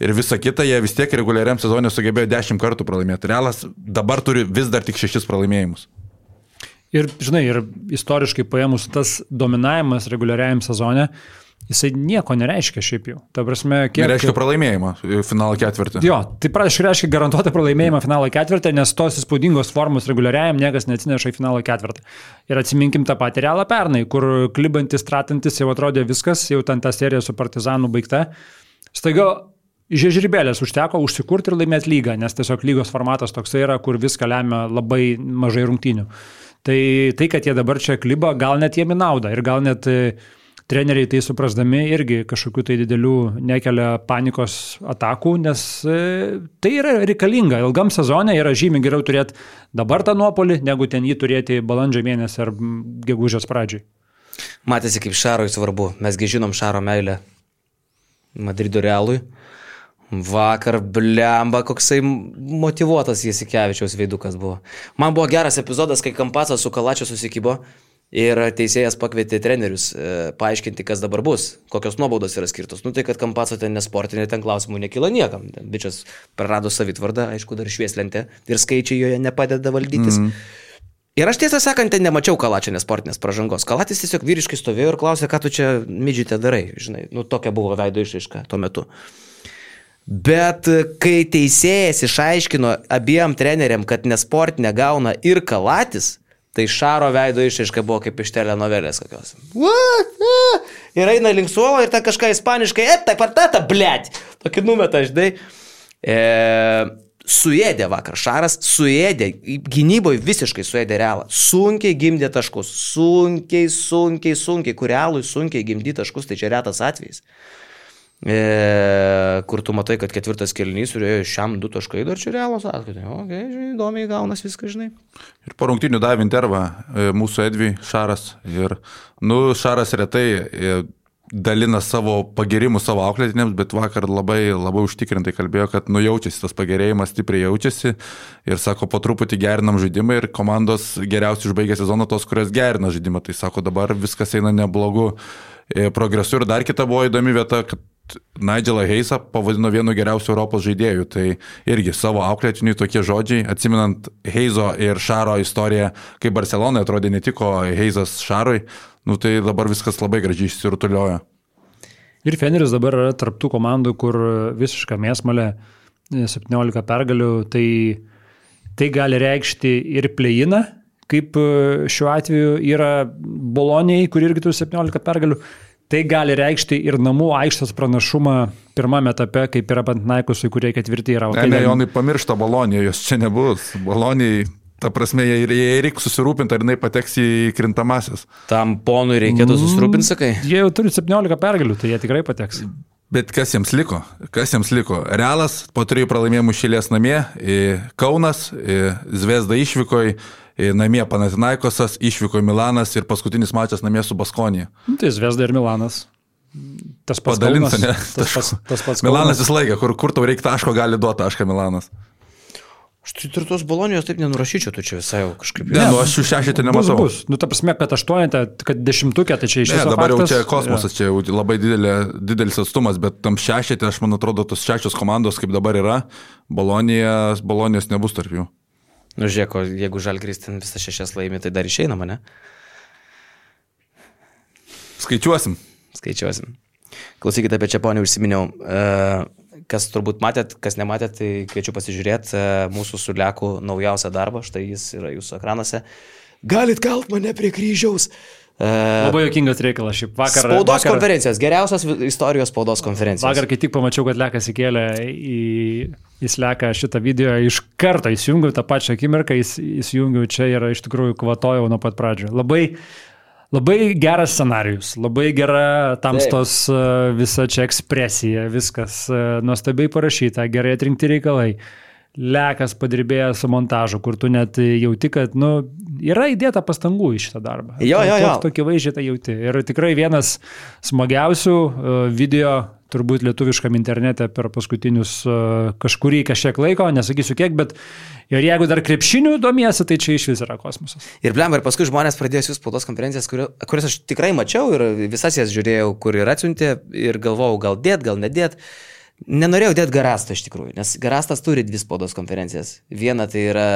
ir visa kita, jie vis tiek reguliariam sezonė sugebėjo 10 kartų pralaimėti. Realas dabar turi vis dar tik 6 pralaimėjimus. Ir, žinai, ir istoriškai paėmus tas dominavimas reguliariajam sezone, jisai nieko nereiškia šiaip jau. Ta prasme, nereiškia pralaimėjimą finalo ketvirtį. Jo, tai reiškia garantuotą pralaimėjimą finalo ketvirtį, nes tos įspūdingos formos reguliariajam niekas neatsineša į finalo ketvirtį. Ir atsiminkim tą patį Realą pernai, kur klibantis, tratantis jau atrodė viskas, jau ten ta serija su Partizanu baigta. Staiga žiežrybėlės užteko užsikurti ir laimėti lygą, nes tiesiog lygos formatas toksai yra, kur viską lemia labai mažai rungtynių. Tai, kad jie dabar čia kliba, gal net jiem į naudą ir gal net treneriai tai suprasdami irgi kažkokių tai didelių nekelia panikos atakų, nes tai yra reikalinga. Ilgam sezone yra žymiai geriau turėti dabar tą nuopolį, negu ten jį turėti balandžio mėnesį ar gegužės pradžiai. Matėsi, kaip Šarui svarbu. Mesgi žinom Šaro meilę Madrido Realui. Vakar, blemba, koksai motyvuotas Jasikevičiaus veidukas buvo. Man buvo geras epizodas, kai Kampacas su Kalačiu susikybo. Ir teisėjas pakvietė trenerius paaiškinti, kas dabar bus, kokios nuobaudos yra skirtos. Tai kad Kampaco ten nesportinė, ten klausimų nekyla niekam. Bičias prarado savitvardą, aišku, dar švieslentė ir skaičiai joje nepadeda valdytis. Ir aš tiesą sakant, ten nemačiau Kalačio nesportinės pražangos. Kalatis tiesiog vyriškai stovėjo ir klausė, ką tu čia midžite darai. Žinai, tokia buvo veido išraiška tuo metu. Bet kai teisėjas išaiškino abiem treneriam, kad nesportinę gauna ir Kalatis, tai Šaro veido išraiška buvo kaip iš telenovelės kokios. Ir eina link suolo ir ta kažką ispaniškai, ta, blėt. Tokį numetą, žinai. Suėdė vakar Šaras, gynyboje visiškai suėdė Realą. Sunkiai gimdė taškus, sunkiai, kur Realui sunkiai gimdė taškus, tai čia retas atvejis. Kur tu matai, kad 4 kėlinys turėjo šiam 2 taškai, dar čia Realos atskaitė. Žinai, įdomiai gaunas viską, žinai. Ir po rungtynių davė intervą mūsų Edvi Šaras. Ir, Šaras retai dalina savo pagirimus savo auklėtiniams, bet vakar labai užtikrintai kalbėjo, kad jaučiasi tas pagerėjimas, stipriai jaučiasi. Ir sako, po truputį gerinam žaidimą ir komandos geriausiai užbaigė sezoną tos, kurios gerina žaidimą. Tai sako, dabar viskas eina neblogu progresu. Ir dar kita buvo įdomi vieta, kad Nigelą Heisą pavadino vienu geriausių Europos žaidėjų. Tai irgi savo auklėtiniui tokie žodžiai, atsiminant Heizo ir Šaro istoriją, kai Barcelonai atrodė netiko Heizas Šarui, tai dabar viskas labai gražiai išsirutuliojo. Ir Feneris dabar yra tarptų komandų, kur visiška mėsmalė 17 pergalių, tai gali reikšti ir play-iną, kaip šiuo atveju yra Bolonijai, kur irgi turi 17 pergalių. Tai gali reikšti ir namų aikštės pranašumą pirmame etape, kaip yra Panathinaikosui, kurie 4 yra. Ne, Jonai pamiršta Boloniją, jos čia nebus. Bolonijai, ta prasme, jai reikia susirūpinti, ar jinai pateks į krintamasis. Tam ponui reikėtų susirūpinti, sakai? Jie jau turi 17 pergalių, tai jie tikrai pateks. Bet kas jiems liko? Realas po 3 pralaimėjimų šilės namie, Kaunas, Zvezda išvykoje, namie Panathinaikosas, išvyko Milanas ir paskutinis mačas namie su Baskonija. Tai Zvezda ir Milanas. Tas pats Padalinsa, ne? Tas pats Milanas visą laiką, kur tau reikia taško, gali duoti tašką Milanas. Aš ir tos Bolonijos taip nenurašyčiau, tu čia visai jau kažkaip... Ne, aš jų 6 nematau. Bus. Ta prasme, kad 8, kad 10, tai čia iš viso dabar faktas. Jau čia kosmosas, čia jau labai didelis atstumas, bet tam 6, aš man atrodo, tos 6 komandos, kaip dabar yra, Bolonijos nebus tarp jų. Žiūrėk, jeigu Žalgiris ten visą 6 laimi, tai dar išeinama, ne? Skaičiuosim. Klausykite, apie Čeponį užsiminiau. Kas turbūt matėt, kas nematėt, tai kviečiu pasižiūrėti mūsų su Leku naujausią darbą. Štai jis yra jūsų ekranuose. Galit kalt mane prie kryžiaus. Labai juokingas reikalas šiaip. Spaudos konferencijos, geriausios istorijos spaudos konferencijos. Vakar, kai tik pamačiau, kad Lekas įkėlė į Jis leka šitą video iš karto įsijungiau, tą pačią akimirką įsijungiau čia ir iš tikrųjų kvatojau nuo pat pradžio. Labai geras scenarijus, labai gera tamstos visa čia ekspresija, viskas nuostabiai parašyta, gerai atrinkti reikalai. Lekas padirbėjęs su montažu, kur tu net jauti, kad yra įdėta pastangų į šitą darbą. Jo. Tokį vaizdžiai tai jauti. Ir tikrai vienas smagiausių video, turbūt lietuviškam internete per paskutinius kažkiek laiko, nesakysiu kiek, bet ir jeigu dar krepšinių domiesi, tai čia iš vis yra kosmosas. Ir paskui žmonės pradėjo siųsti spaudos konferencijas, kurias aš tikrai mačiau ir visas jas žiūrėjau, kur ir atsiuntė ir galvojau, gal dėt, gal nedėt. Nenorėjau dėti Garastą iš tikrųjų, nes Garastas turi 2 spaudos konferencijas. Viena tai yra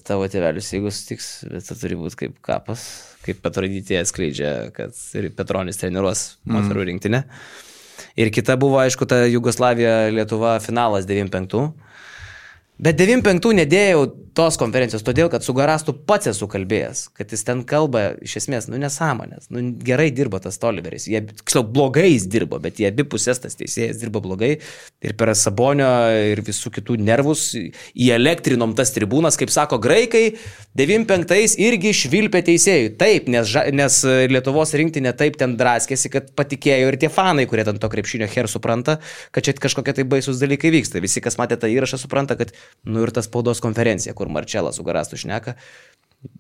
tavo tėvelius, jeigu sutiks, bet tai turi būti kaip kapas, kaip Petrodytė atskleidžia, kad Petronis treniruos moterų rinktinę. Ir kita buvo, aišku, ta Jugoslavija-Lietuva finalas 95. Bet 95 nedėjau tos konferencijos, todėl, kad su Garastu pats esu kalbėjęs, kad jis ten kalba iš esmės, nesąmonės, gerai dirbo tas Oliveris, blogai jis dirbo, bet jie abi pusės tas teisėjas dirbo blogai ir per Sabonio ir visų kitų nervus įelektrinom tas tribūnas, kaip sako graikai, 95 irgi švilpė teisėjų. Taip, nes Lietuvos rinktinė taip ten draskėsi, kad patikėjo ir tie fanai, kurie ten to krepšinio her supranta, kad čia kažkokie tai baisus dalykai vyksta. Visi, kas matė tą įrašą, supranta, kad ir ta spaudos konferencija, kur Marčelas su Garastu šneka.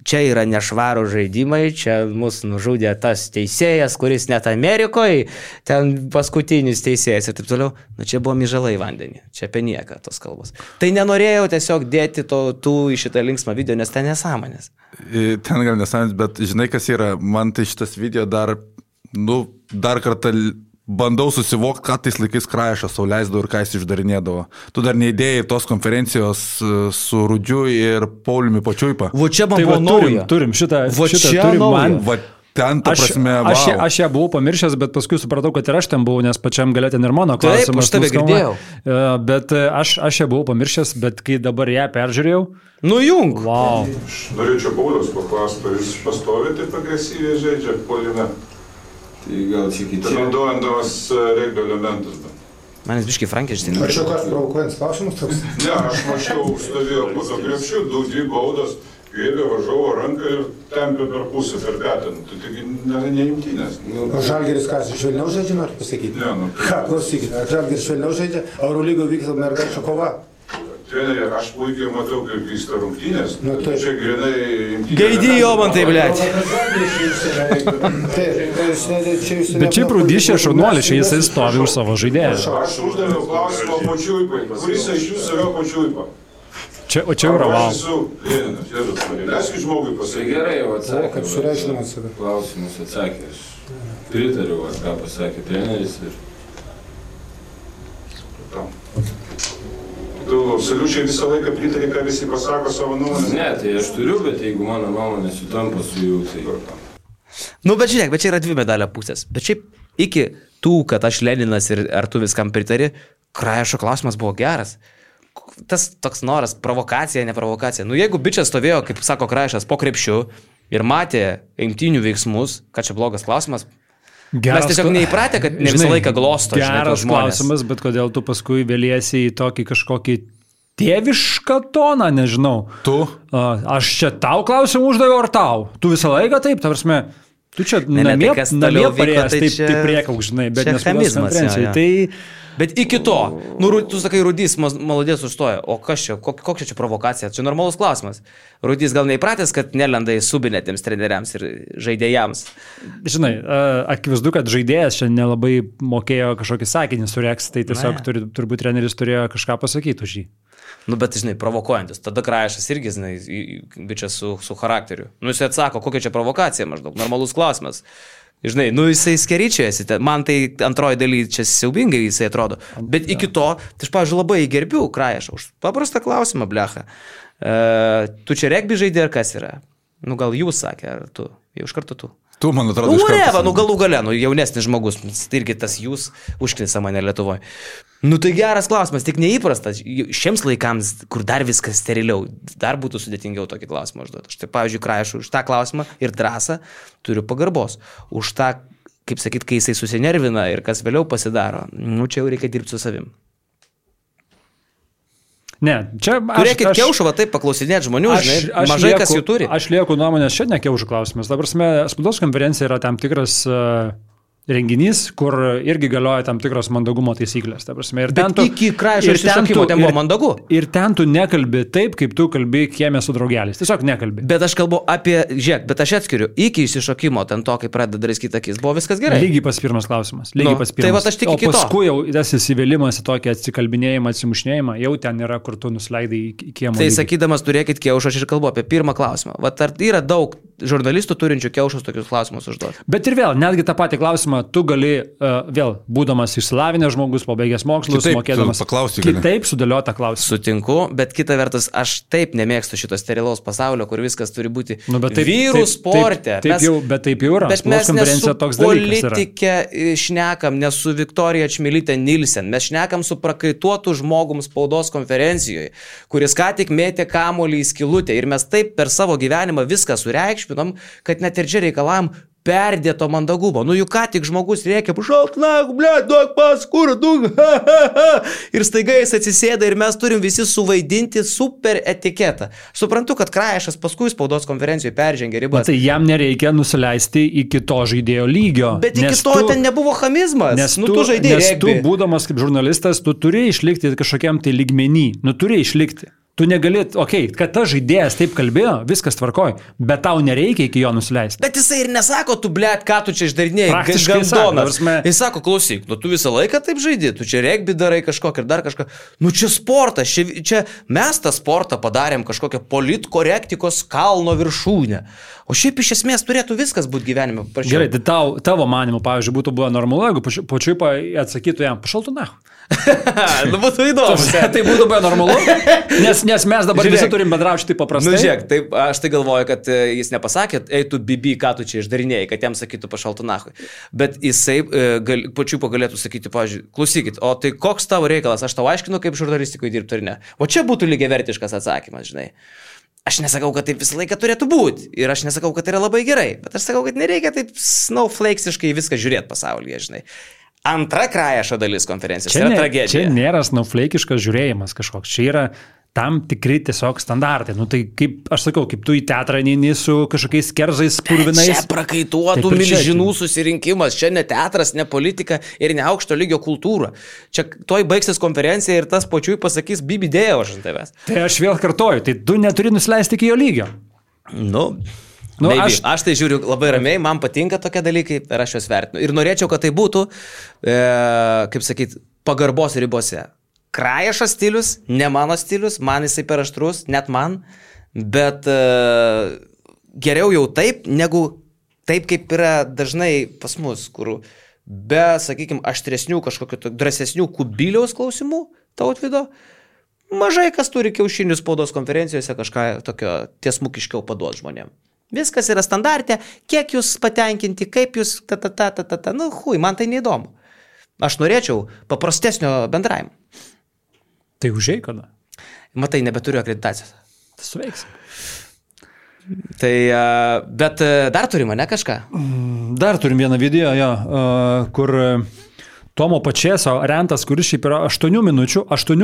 Čia yra nešvarų žaidimai, čia mus nužudė tas teisėjas, kuris net Amerikoje, ten paskutinis teisėjas ir taip toliau. Čia buvo myžalai vandenį, čia apie nieką tos kalbos. Tai nenorėjau tiesiog dėti tų į šitą linksmą video, nes ten nesąmonės. Ten gal nesąmonės, bet žinai, kas yra, man tai šitas video dar kartą bandau susivokti, ką tais laikais Kraešas sau leisdavo ir ką jis išdarinėdavo. Tu dar neįdėjai tos konferencijos su Rudžiu ir Pauliumi Pačiuipa. Čia man buvo nauja. Turim šitą turim man. Ten, ta prasme, aš ją buvau pamiršęs, bet paskui supratau, kad ir aš ten buvau, nes pačiam galėt ir mano klausimas. Taip, aš tave girdėjau. Bet aš ją buvau pamiršęs, bet kai dabar ją peržiūrėjau. Nujung. Wow. Aš norėčiau Pauliaus paklausti, jūs pastovi taip agresyviai žaidžia puolime. Tai gal čia kiti. Naudojant regbio elementus. Manis biškai Frankenstein. Ar čia kas provokuojant klausimus toks? Ne, aš mačiau, stovėjo po to krepšiu, 2 baudas, kėlė važiavo ranką ir tempė per pusę, per petą. Tai taigi neimtinės. O Žalgiris kas, švelniau žaidžia, noriu pasakyti? Ne, Ką, klausykit, ar Žalgiris švelniau žaidžia, Eurolygo vyksta mergaičių kova? treneri, aš puikiai matau, kaip vyksta rungtynės. Čia grinai... Gaidijo man tai, blėt. Bet šiaip Rūdyšė šaunuolis, jisai stovi už savo žaidėją. Aš uždaviau klausimą Pačiuipai. Kuris iš jūsų yra Pačiuipa? O čia yra wow. Leiskit žmogui pasakyti. Gerai, jau atsakė. Kaip sureikšminamas save. Klausimus atsakė. Aš pritariu, ką pasakė treneris. Tu absoliučiai visą laiką pritari, ką visi pasako savo nuomonę? Ne, tai aš turiu, bet jeigu mano nuomonė sutampa su jų, tai... Nu, bet žiūrėk, bet čia yra dvi medalio pusės. Bet šiaip iki tų, kad aš Leninas ir ar tu viskam pritari, Kraešo klausimas buvo geras. Tas toks noras, provokacija, ne provokacija. Nu, jeigu bičias stovėjo, kaip sako Kraešas, po krepšiu ir matė imtynių veiksmus, kad čia blogas klausimas, mes tiesiog neįpratę, kad ne visą laiką glosto. Geras klausimas, bet kodėl tu paskui vėliesi į tokį kažkokį tėvišką toną, nežinau. Tu? Aš čia tau klausimą uždaviau, ar tau? Tu visą laiką taip, ta prasme, tu čia namie parėjęs taip priekauk, žinai, bet nespaudos konferencijai. Tai... Bet iki to, nu, tu sakai, Rudys malodės užstoja, o kas čia, kokia čia provokacija? Čia normalus klausimas. Rudys gal neįpratęs, kad nelenda į subinetėms treneriams ir žaidėjams. Žinai, akivaizdu, kad žaidėjas čia nelabai mokėjo kažkokį sakinį sureks, tai tiesiog turbūt treneris turėjo kažką pasakyti už jį. Nu, bet, žinai, provokuojantis. Tada Kraešas irgi, žinai, bičias su charakteriu. Nu, jis atsako, kokia čia provokacija maždaug, normalus klausimas. Žinai, nu jisai skeričiasi, man tai antroji daly čia siaubingai jisai atrodo. Bet iki to, tai aš, pavyzdžiui, labai gerbiu Kraešą už paprastą klausimą, blecha. Tu čia regbį žaidė ar kas yra? Nu gal jūs sakė, ar tu? Jau iš karto tu. Tu, man atrodo, iš karto. Nu galų gale, nu jaunesnis žmogus, tai irgi tas jūs užknisa mane Lietuvoje. Nu tai geras klausimas, tik neįprastas. Šiems laikams, kur dar viskas steriliau, dar būtų sudėtingiau tokį klausimą užduoti. Štai, pavyzdžiui, Kraešų už tą klausimą ir drąsą turiu pagarbos. Už tą, kaip sakyt, kai jisai susinervina ir kas vėliau pasidaro, nu čia jau reikia dirbti su savim. Ne, čia Turėkit Kiaušą, va taip paklausinėti žmonių, žinai, mažai kas jų turi. Aš lieku nuomonės, čia ne Kiaušų klausimas. Dabar spaudos konferencija yra tam tikras renginys, kur irgi galioja tam tikros mandagumo taisyklės. Ir bet iki Kraišo išsišokimo ten buvo mandagu. Ir ten tu nekalbi taip, kaip tu kalbi kieme su draugeliais. Tiesiog nekalbi. Bet aš kalbu apie, žiūrėk, bet aš atskiriu, iki išsišokimo, ten to, kai pradeda draskyti akis, buvo viskas gerai. Lygiai pas pirmas klausimas. Lygiai pas pirmas. Tai va aš tik iki to. O paskui jau tas įsivėlimas į tokį atsikalbinėjimą, atsimušnėjimą, jau ten yra, kur tu nusileidai į kiemo. Tai sakydamas, turėkit Kiaušą, aš ir kalbu apie pirmą klausimą. Va ar yra daug žurnalistų turinčių Kiaušus tokius klausimus užduoti? Bet ir vėl, netgi tą patį klausimą tu gali vėl, būdamas išsilavinęs žmogus, pabaigęs mokslus, mokėdamas kitaip sudėliotą klausimą. Sutinku, bet kita vertus, aš taip nemėgstu šito sterilaus pasaulio, kur viskas turi būti vyrų sporte. Bet taip jau yra. Bet mes ne su politikė šnekam, ne su Viktorija Čmilytė Nilsen, mes šnekam su prakaituotu žmogum spaudos konferencijoje, kuris ką tik mėtė kamuolį į skylutę ir mes taip per savo gyvenimą viską sureikšminom, kad net ir čia reikalavom perdėto mandagumo. Nu, juk ką tik žmogus rėkia, pašalt, na, blėt, duok pas, kur, duok, ir staiga jis atsisėda ir mes turim visi suvaidinti super etiketą. Suprantu, kad Kraišas paskui spaudos konferencijoje peržengė ribas. Tai jam nereikia nusileisti iki to žaidėjo lygio. Bet iki to ten nebuvo chamizmas. Nes tu, būdamas kaip žurnalistas, tu turi išlikti kažkokiam tai lygmenį. Nu, turi išlikti. Tu negali, kad ta žaidėjas taip kalbėjo, viskas tvarkoj, bet tau nereikia iki jo nusileisti. Bet jisai ir nesako, tu, blėt, ką tu čia išdarinėjai, gandonas. Jis sako, klausyk, nu tu visą laiką taip žaidži, tu čia regbį darai kažkokį ir dar kažką. Nu čia sportas, čia mes tą sportą padarėm kažkokią politkorektikos kalno viršūnę. O šiaip iš esmės turėtų viskas būti gyvenime prašiau. Gerai, tai tavo manimu, pavyzdžiui, būtų buvo normalu, jeigu pačiui atsakytų jam, pašaltų nahu. Nu būtų įdomu. Tai būtų buvo normalu, nes mes dabar visi turim bendrauti taip paprastai. Nu žiūrėk, taip, aš tai galvoju, kad jis nepasakė, ei tu bibi, ką tu čia išdarinėjai, kad jam sakytų pašaltų nahui. Bet jisai pačiu pagalėtų sakyti, pavyzdžiui, klausykit, o tai koks tavo reikalas, aš tau aiškinu, kaip žurnalistikoje dirbti ar ne. O čia būtų lygiavertiškas atsakymas, žinai. Aš nesakau, kad taip visą laiką turėtų būti ir aš nesakau, kad tai yra labai gerai, bet aš sakau, kad nereikia taip snowflakesiškai viską žiūrėti pasaulyje, žinai. Antra Kraišo dalis konferencijos yra tragedija. Čia nėra snowflakiškas žiūrėjimas kažkoks, čia yra tam tikri tiesiog standartai. Nu tai kaip, aš sakau, kaip tu į teatrą neini su kažkokiais kerzais purvinais. Čia prakaituotų milžinų susirinkimas, čia ne teatras, ne politika ir ne aukšto lygio kultūra. Čia toj baigsis konferencija ir tas pačiui pasakys bibidėjo aš ant tavęs. Tai aš vėl kartoju, tai tu neturi nusileisti iki jo lygio. Aš tai žiūriu labai ramiai, man patinka tokie dalykai ir aš juos vertinu. Ir norėčiau, kad tai būtų, kaip sakyt, pagarbos ribose. Kraišas stilius, ne mano stilius, man jisai per aštrus, net man, bet geriau jau taip, negu taip, kaip yra dažnai pas mus, kur be, sakykime, aštresnių, kažkokių drąsesnių Kubiliaus klausimų, Tautvydo, mažai kas turi kiaušinių spaudos konferencijose kažką tokio tiesmukiškiau paduoti žmonėm. Viskas yra standartė, kiek jūs patenkinti, kaip jūs man tai neįdomu. Aš norėčiau paprastesnio bendravimo. Tai užėjai kada? Matai, nebeturiu akreditacijos. Tai suveiks. Tai, bet dar turime, ne kažką? Dar turim vieną video, kur Tomo Pačėso rentas, kuris šiaip yra 8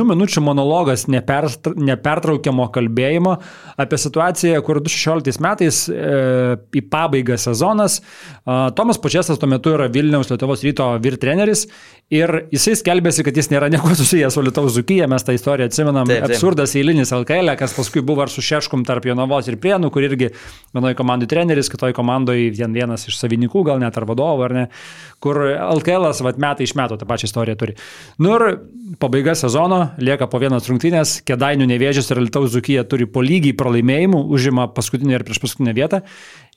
minučių monologas nepertraukiamo kalbėjimo apie situaciją, kur 2016 metais į pabaigą sezonas. Tomas Pačėsas tuo metu yra Vilniaus Lietuvos Ryto vyr treneris ir jisai skelbėsi, kad jis nėra nieko susijęs su Lietuvos Dzūkija, mes tą istoriją atsimenam, taip. Absurdas eilinis LKL, kas paskui buvo ar su Šeškum tarp Jonavos ir Prienų, kur irgi vienoje komandai treneris, kitoje komandoje vienas iš savininkų, gal net ar vadovų, ar ne, kur LKL'as metai iš metų tą pačią istoriją turi. Nu ir pabaiga sezono, lieka po vienas rungtynės, Kėdainių Nevėžis ir Lietuvos Dzūkija turi po lygiai pralaimėjimų, užima paskutinę ir prieš paskutinę vietą.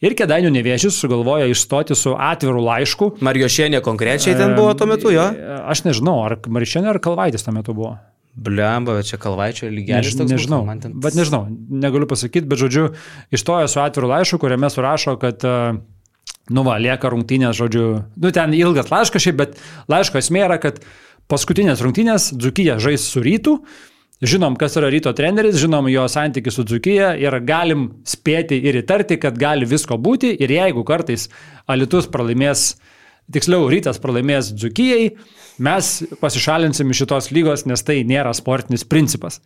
Ir Kėdainių Nevėžis sugalvoja išstoti su atviru laišku. Mariošienė konkrečiai ten buvo tuo metu, jo? Aš nežinau, ar Mariošienė ar Kalvaitis tuo metu buvo. Blemba, bet čia Kalvaičio lygelis toks. Nežinau, bet nežinau, negaliu pasakyti, bet žodžiu, išstoja su atviru laišku, kuriame surašo, kad lieka rungtynės, žodžiu, ten ilgas laiškas šiaip, bet laiško esmė yra, kad paskutinės rungtynės Dzūkija žais su Rytu. Žinom, kas yra Ryto treneris, žinom jo santykį su Dzūkija ir galim spėti ir įtarti, kad gali visko būti ir jeigu kartais Alytus pralaimės, tiksliau Rytas pralaimės Dzūkijai, mes pasišalinsim iš šitos lygos, nes tai nėra sportinis principas.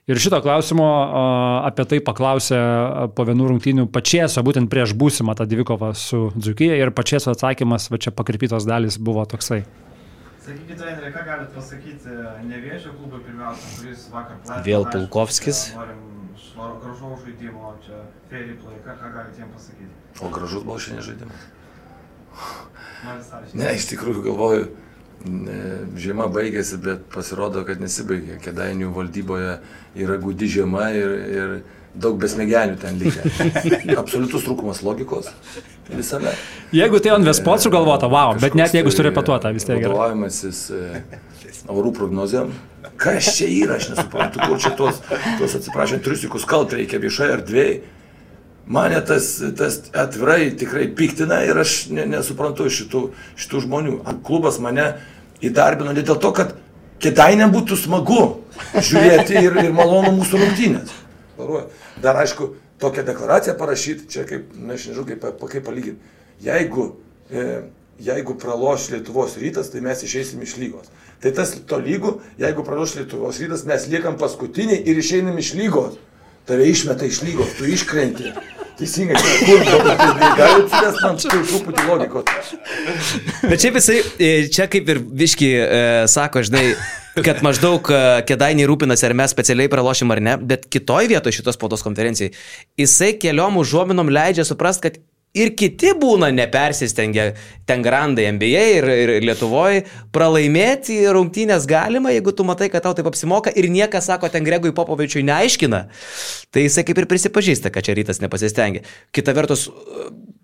Ir šito klausimo apie tai paklausė po vienų rungtynių Pačėso, būtent prieš būsimą tą dvikovą su Dzūkija, ir Pačėso atsakymas, va čia pakrypytos dalis buvo toksai. Sakykite, treneri, ką galite pasakyti Nevėžio klubui pirmiausia, kuris vakar platino. Vėl Pulkovskis. Norim gražaus žaidimo, čia fair play, ką galite jiems pasakyti? O gražus buvo šiandien žaidimas? Ne, iš tikrųjų galvoju, žiema baigėsi, bet pasirodo, kad nesibaigė. Kėdainių valdyboje yra gūdi žiema ir daug besmegenių ten likę. Absoliutus trūkumas logikos visame. Jeigu tai on Vespot sugalvota, wow, bet net jeigu surepetuota, vis tiek gerai. Vadovavimasis orų prognozėm. Kas čia yra, aš nesuprantu, kur čia tos atsiprašant, triusikus kalt reikia viešai erdvėj. Mane tas atvirai tikrai piktina ir aš nesuprantu šitų žmonių. Klubas mane įdarbino ne dėl to, kad Kėdainiam būtų smagu žiūrėti ir malonu mūsų rungtynės. Dar aišku, tokią deklaraciją parašyti, čia kaip, nežinau, kaip palyginti. Jeigu praloš Lietuvos Rytas, tai mes išeisim iš lygos. Tai tas to lygų, jeigu praloš Lietuvos Rytas, mes liekam paskutiniai ir išeinam iš lygos. Tave išmeta iš lygos, tu iškrenti. Teisingai, kur gali atsivesti man truputį logikos. Bet šiaip jisai, čia kaip ir Viški sako, žinai, kad maždaug Kėdainiai rūpinasi, ar mes specialiai pralošim ar ne, bet kitoj vietoje šitos spaudos konferencijai jisai keliom užuominom leidžia suprast, kad ir kiti būna nepersistengę, ten grandai NBA ir Lietuvoje, pralaimėti rungtynės galima, jeigu tu matai, kad tau taip apsimoka ir niekas, sako, ten Gregui Popovičiui neaiškina, tai jisai kaip ir prisipažįsta, kad čia Rytas nepasistengia. Kita vertus,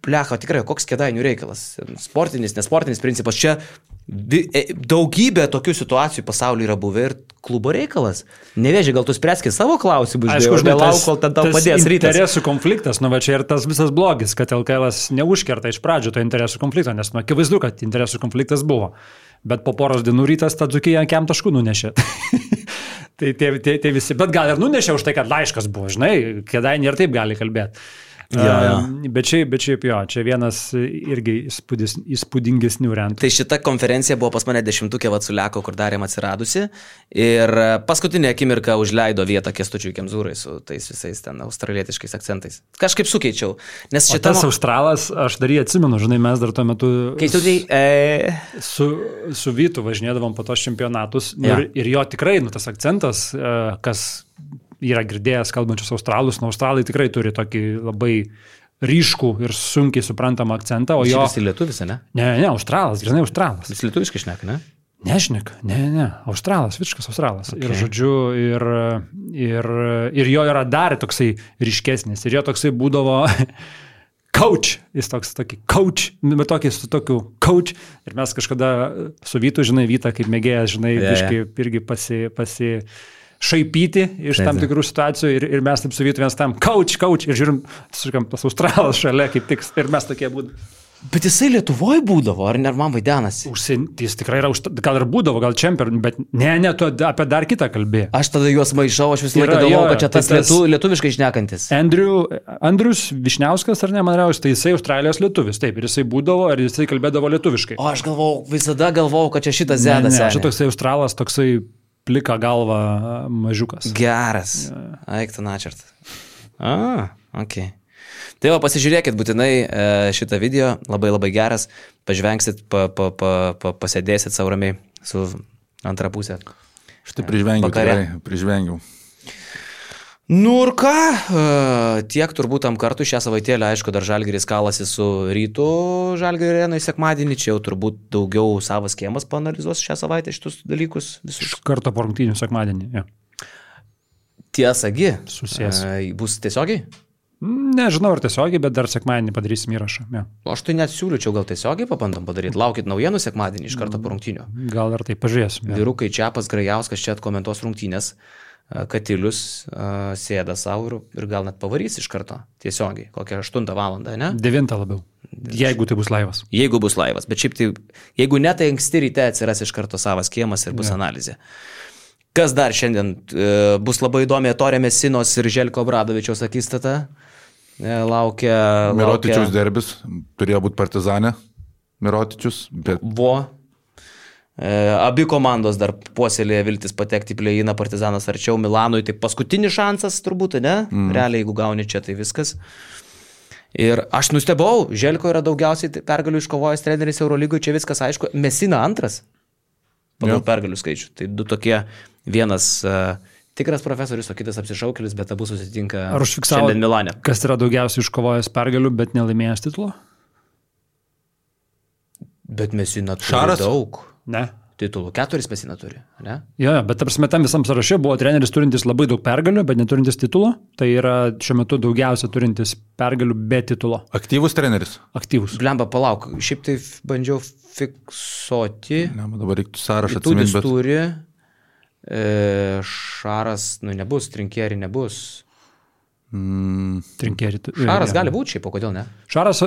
plecha, tikrai, koks Kėdainių reikalas? Sportinis, nesportinis principas. Čia daugybė tokių situacijų pasaulyje yra buvę ir klubo reikalas. Nevėžiai, gal tu spręskit savo klausimus, aišku, žinai, lauk, kol ten tau padės Rytas. Interesų konfliktas, nu va čia ir tas visas blogis, kad LKL'as neužkerta iš pradžių to interesų konflikto, nes nu akivaizdu, kad interesų konfliktas buvo. Bet po poros dienų Rytas tą Dzūkiją ant taškų nunešė. tai visi, bet gal ir nunešė už tai, kad laiškas buvo, žinai, Kėdainiai ir taip gali kalbėti. Bet šiaip jo, čia vienas irgi įspūdingesnių rentų. Tai šita konferencija buvo pas mane 10-ukė Vatsuliako, kur darėm atsiradusi ir paskutinė akimirka užleido vietą Kęstučiui Kemzūrai su tais visais ten australietiškais akcentais. Kažkaip sukeičiau. Nes šitas Australas, aš dar jį atsimenu, žinai, mes dar tuo metu su Vytu važinėdavom po tos čempionatus ir jo tikrai, nu tas akcentas, kas yra girdėjęs kalbančius australus, nu australai tikrai turi tokį labai ryškų ir sunkiai suprantamą akcentą, o jo... Šis lietuvis, ne? Ne, australas, žinai, australas. Jis lietuviškai šneka, ne? Nešnek, ne, australas, visiškas australas. Okay. Ir žodžiu, ir jo yra dar toksai ryškesnis, ir jo toksai būdavo coach, jis tokį coach, bet tokį su tokiu coach, ir mes kažkada su Vytu, žinai, Vytą kaip mėgėjas, žinai, irgi pasi šaipyti iš tam tikrų situacijų ir mes taip su Vytu vienas tam coach ir žiūrim, tas australas šalia kaip tik ir mes tokie būdavo. Bet jisai Lietuvoje būdavo, ar ne man vaidenasi? Jis tikrai yra, gal ir būdavo, gal čempion, bet ne, tu apie dar kitą kalbėjai. Aš tada juos maišau, aš visą laiką galvojau, kad čia tas lietuviškai šnekantis. Andrius Višniauskas, ar ne, man reiškia, tai jisai Australijos lietuvis, taip, ir jisai būdavo, ir jisai kalbėdavo lietuviškai. O aš visada galvojau, kad čia šitas zedas. Ne, čia toksai australas, toksai plika galva mažiukas. Geras. Aikta načert. Okay. Tai va, pasižiūrėkit būtinai šitą video, labai geras, pažvengsit, pasėdėsit savo ramiai su antrą pusę. Štai prižvengiau. Nu ir ką, tiek turbūt tam kartu šią savaitėlę, aišku, dar Žalgiris kalasi su Rytu Žalgirio arenoje sekmadienį, čia jau turbūt daugiau savas kiemas paanalizuos šią savaitę šitus dalykus visus. Iš karto po rungtynių sekmadienį, ja. Tiesagi, susės. Bus tiesiogiai? Nežinau, ar tiesiogiai, bet dar sekmadienį padarysim įrašą. Ja. Aš tai net siūlyčiau gal tiesiogiai papandom padaryti. Laukit naujienų sekmadienį iš karto po rungtynių. Gal ir tai pažiūrėsim. Ja. Vyrukai Čiapas, Grajauskas čia atkomentuos rungtynės. Katilius sėda savo ir gal net pavarys iš karto tiesiogiai, kokią 8 valandą, ne? 9 labiau, jeigu tai bus laivas. Jeigu bus laivas, bet šiaip tai, jeigu ne, tai anksti ryte atsiras iš karto savas kiemas ir bus analizė. Kas dar šiandien bus labai įdomi, Torė Mesinos ir Željko Obradovičiaus akistata, laukia... Mirotičiaus derbis, turėjo būti Partizane, Mirotičius, bet... Abi komandos dar puoselėje viltis patekti į play-iną, Partizanas arčiau Milanui, tai paskutinis šansas turbūt, ne? Realiai, jeigu gauni čia, tai viskas. Ir aš nustebau, Želko yra daugiausiai pergalių iškovojęs treneris Eurolygoje, čia viskas aišku, Messina antras pagal pergalių skaičių. Tai du tokie, vienas tikras profesorius, o kitas apsišaukėlis, bet abu susitinka šiandien Milane. Kas yra daugiausiai iškovojęs pergalių, bet nelaimėjęs titulo? Bet Messina turi daug. Ne. Titulų. 4 Messina turi, ne? Jo, bet tarp tam visam sąraše buvo treneris turintis labai daug pergalių, bet neturintis titulo. Tai yra šiuo metu daugiausia turintis pergalių be titulo. Aktyvus treneris? Aktyvus. Blemba, palauk, šiaip tai bandžiau fiksuoti. Ne, dabar reiktų sąrašą atsiminti. Bet... turi, Šaras, nebus, Trinkieri nebus. Trinkieri. Šaras gali būti šiaip, o kodėl ne? Šaras,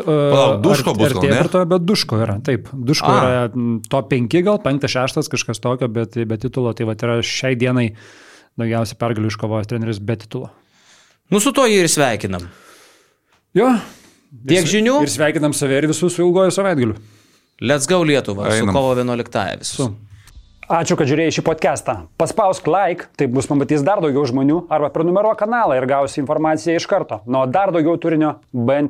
Duško bus, gal ne? Bet Duško yra, taip. Duško yra top 5 gal, 5-6, kažkas tokio, bet be titulo. Tai va, yra šiai dienai daugiausiai pergalių iškovojęs treneris be titulo. Su to jį ir sveikinam. Jo. Tiek žinių. Ir sveikinam save ir visus su ilgojo savaitgaliu. Let's go Lietuva, su kovo 11 visus. Ačiū, kad žiūrėjai šį podcastą. Paspausk like, taip bus pamatys dar daugiau žmonių, arba prenumeruok kanalą ir gausi informaciją iš karto. Nuo dar daugiau turinio BN+.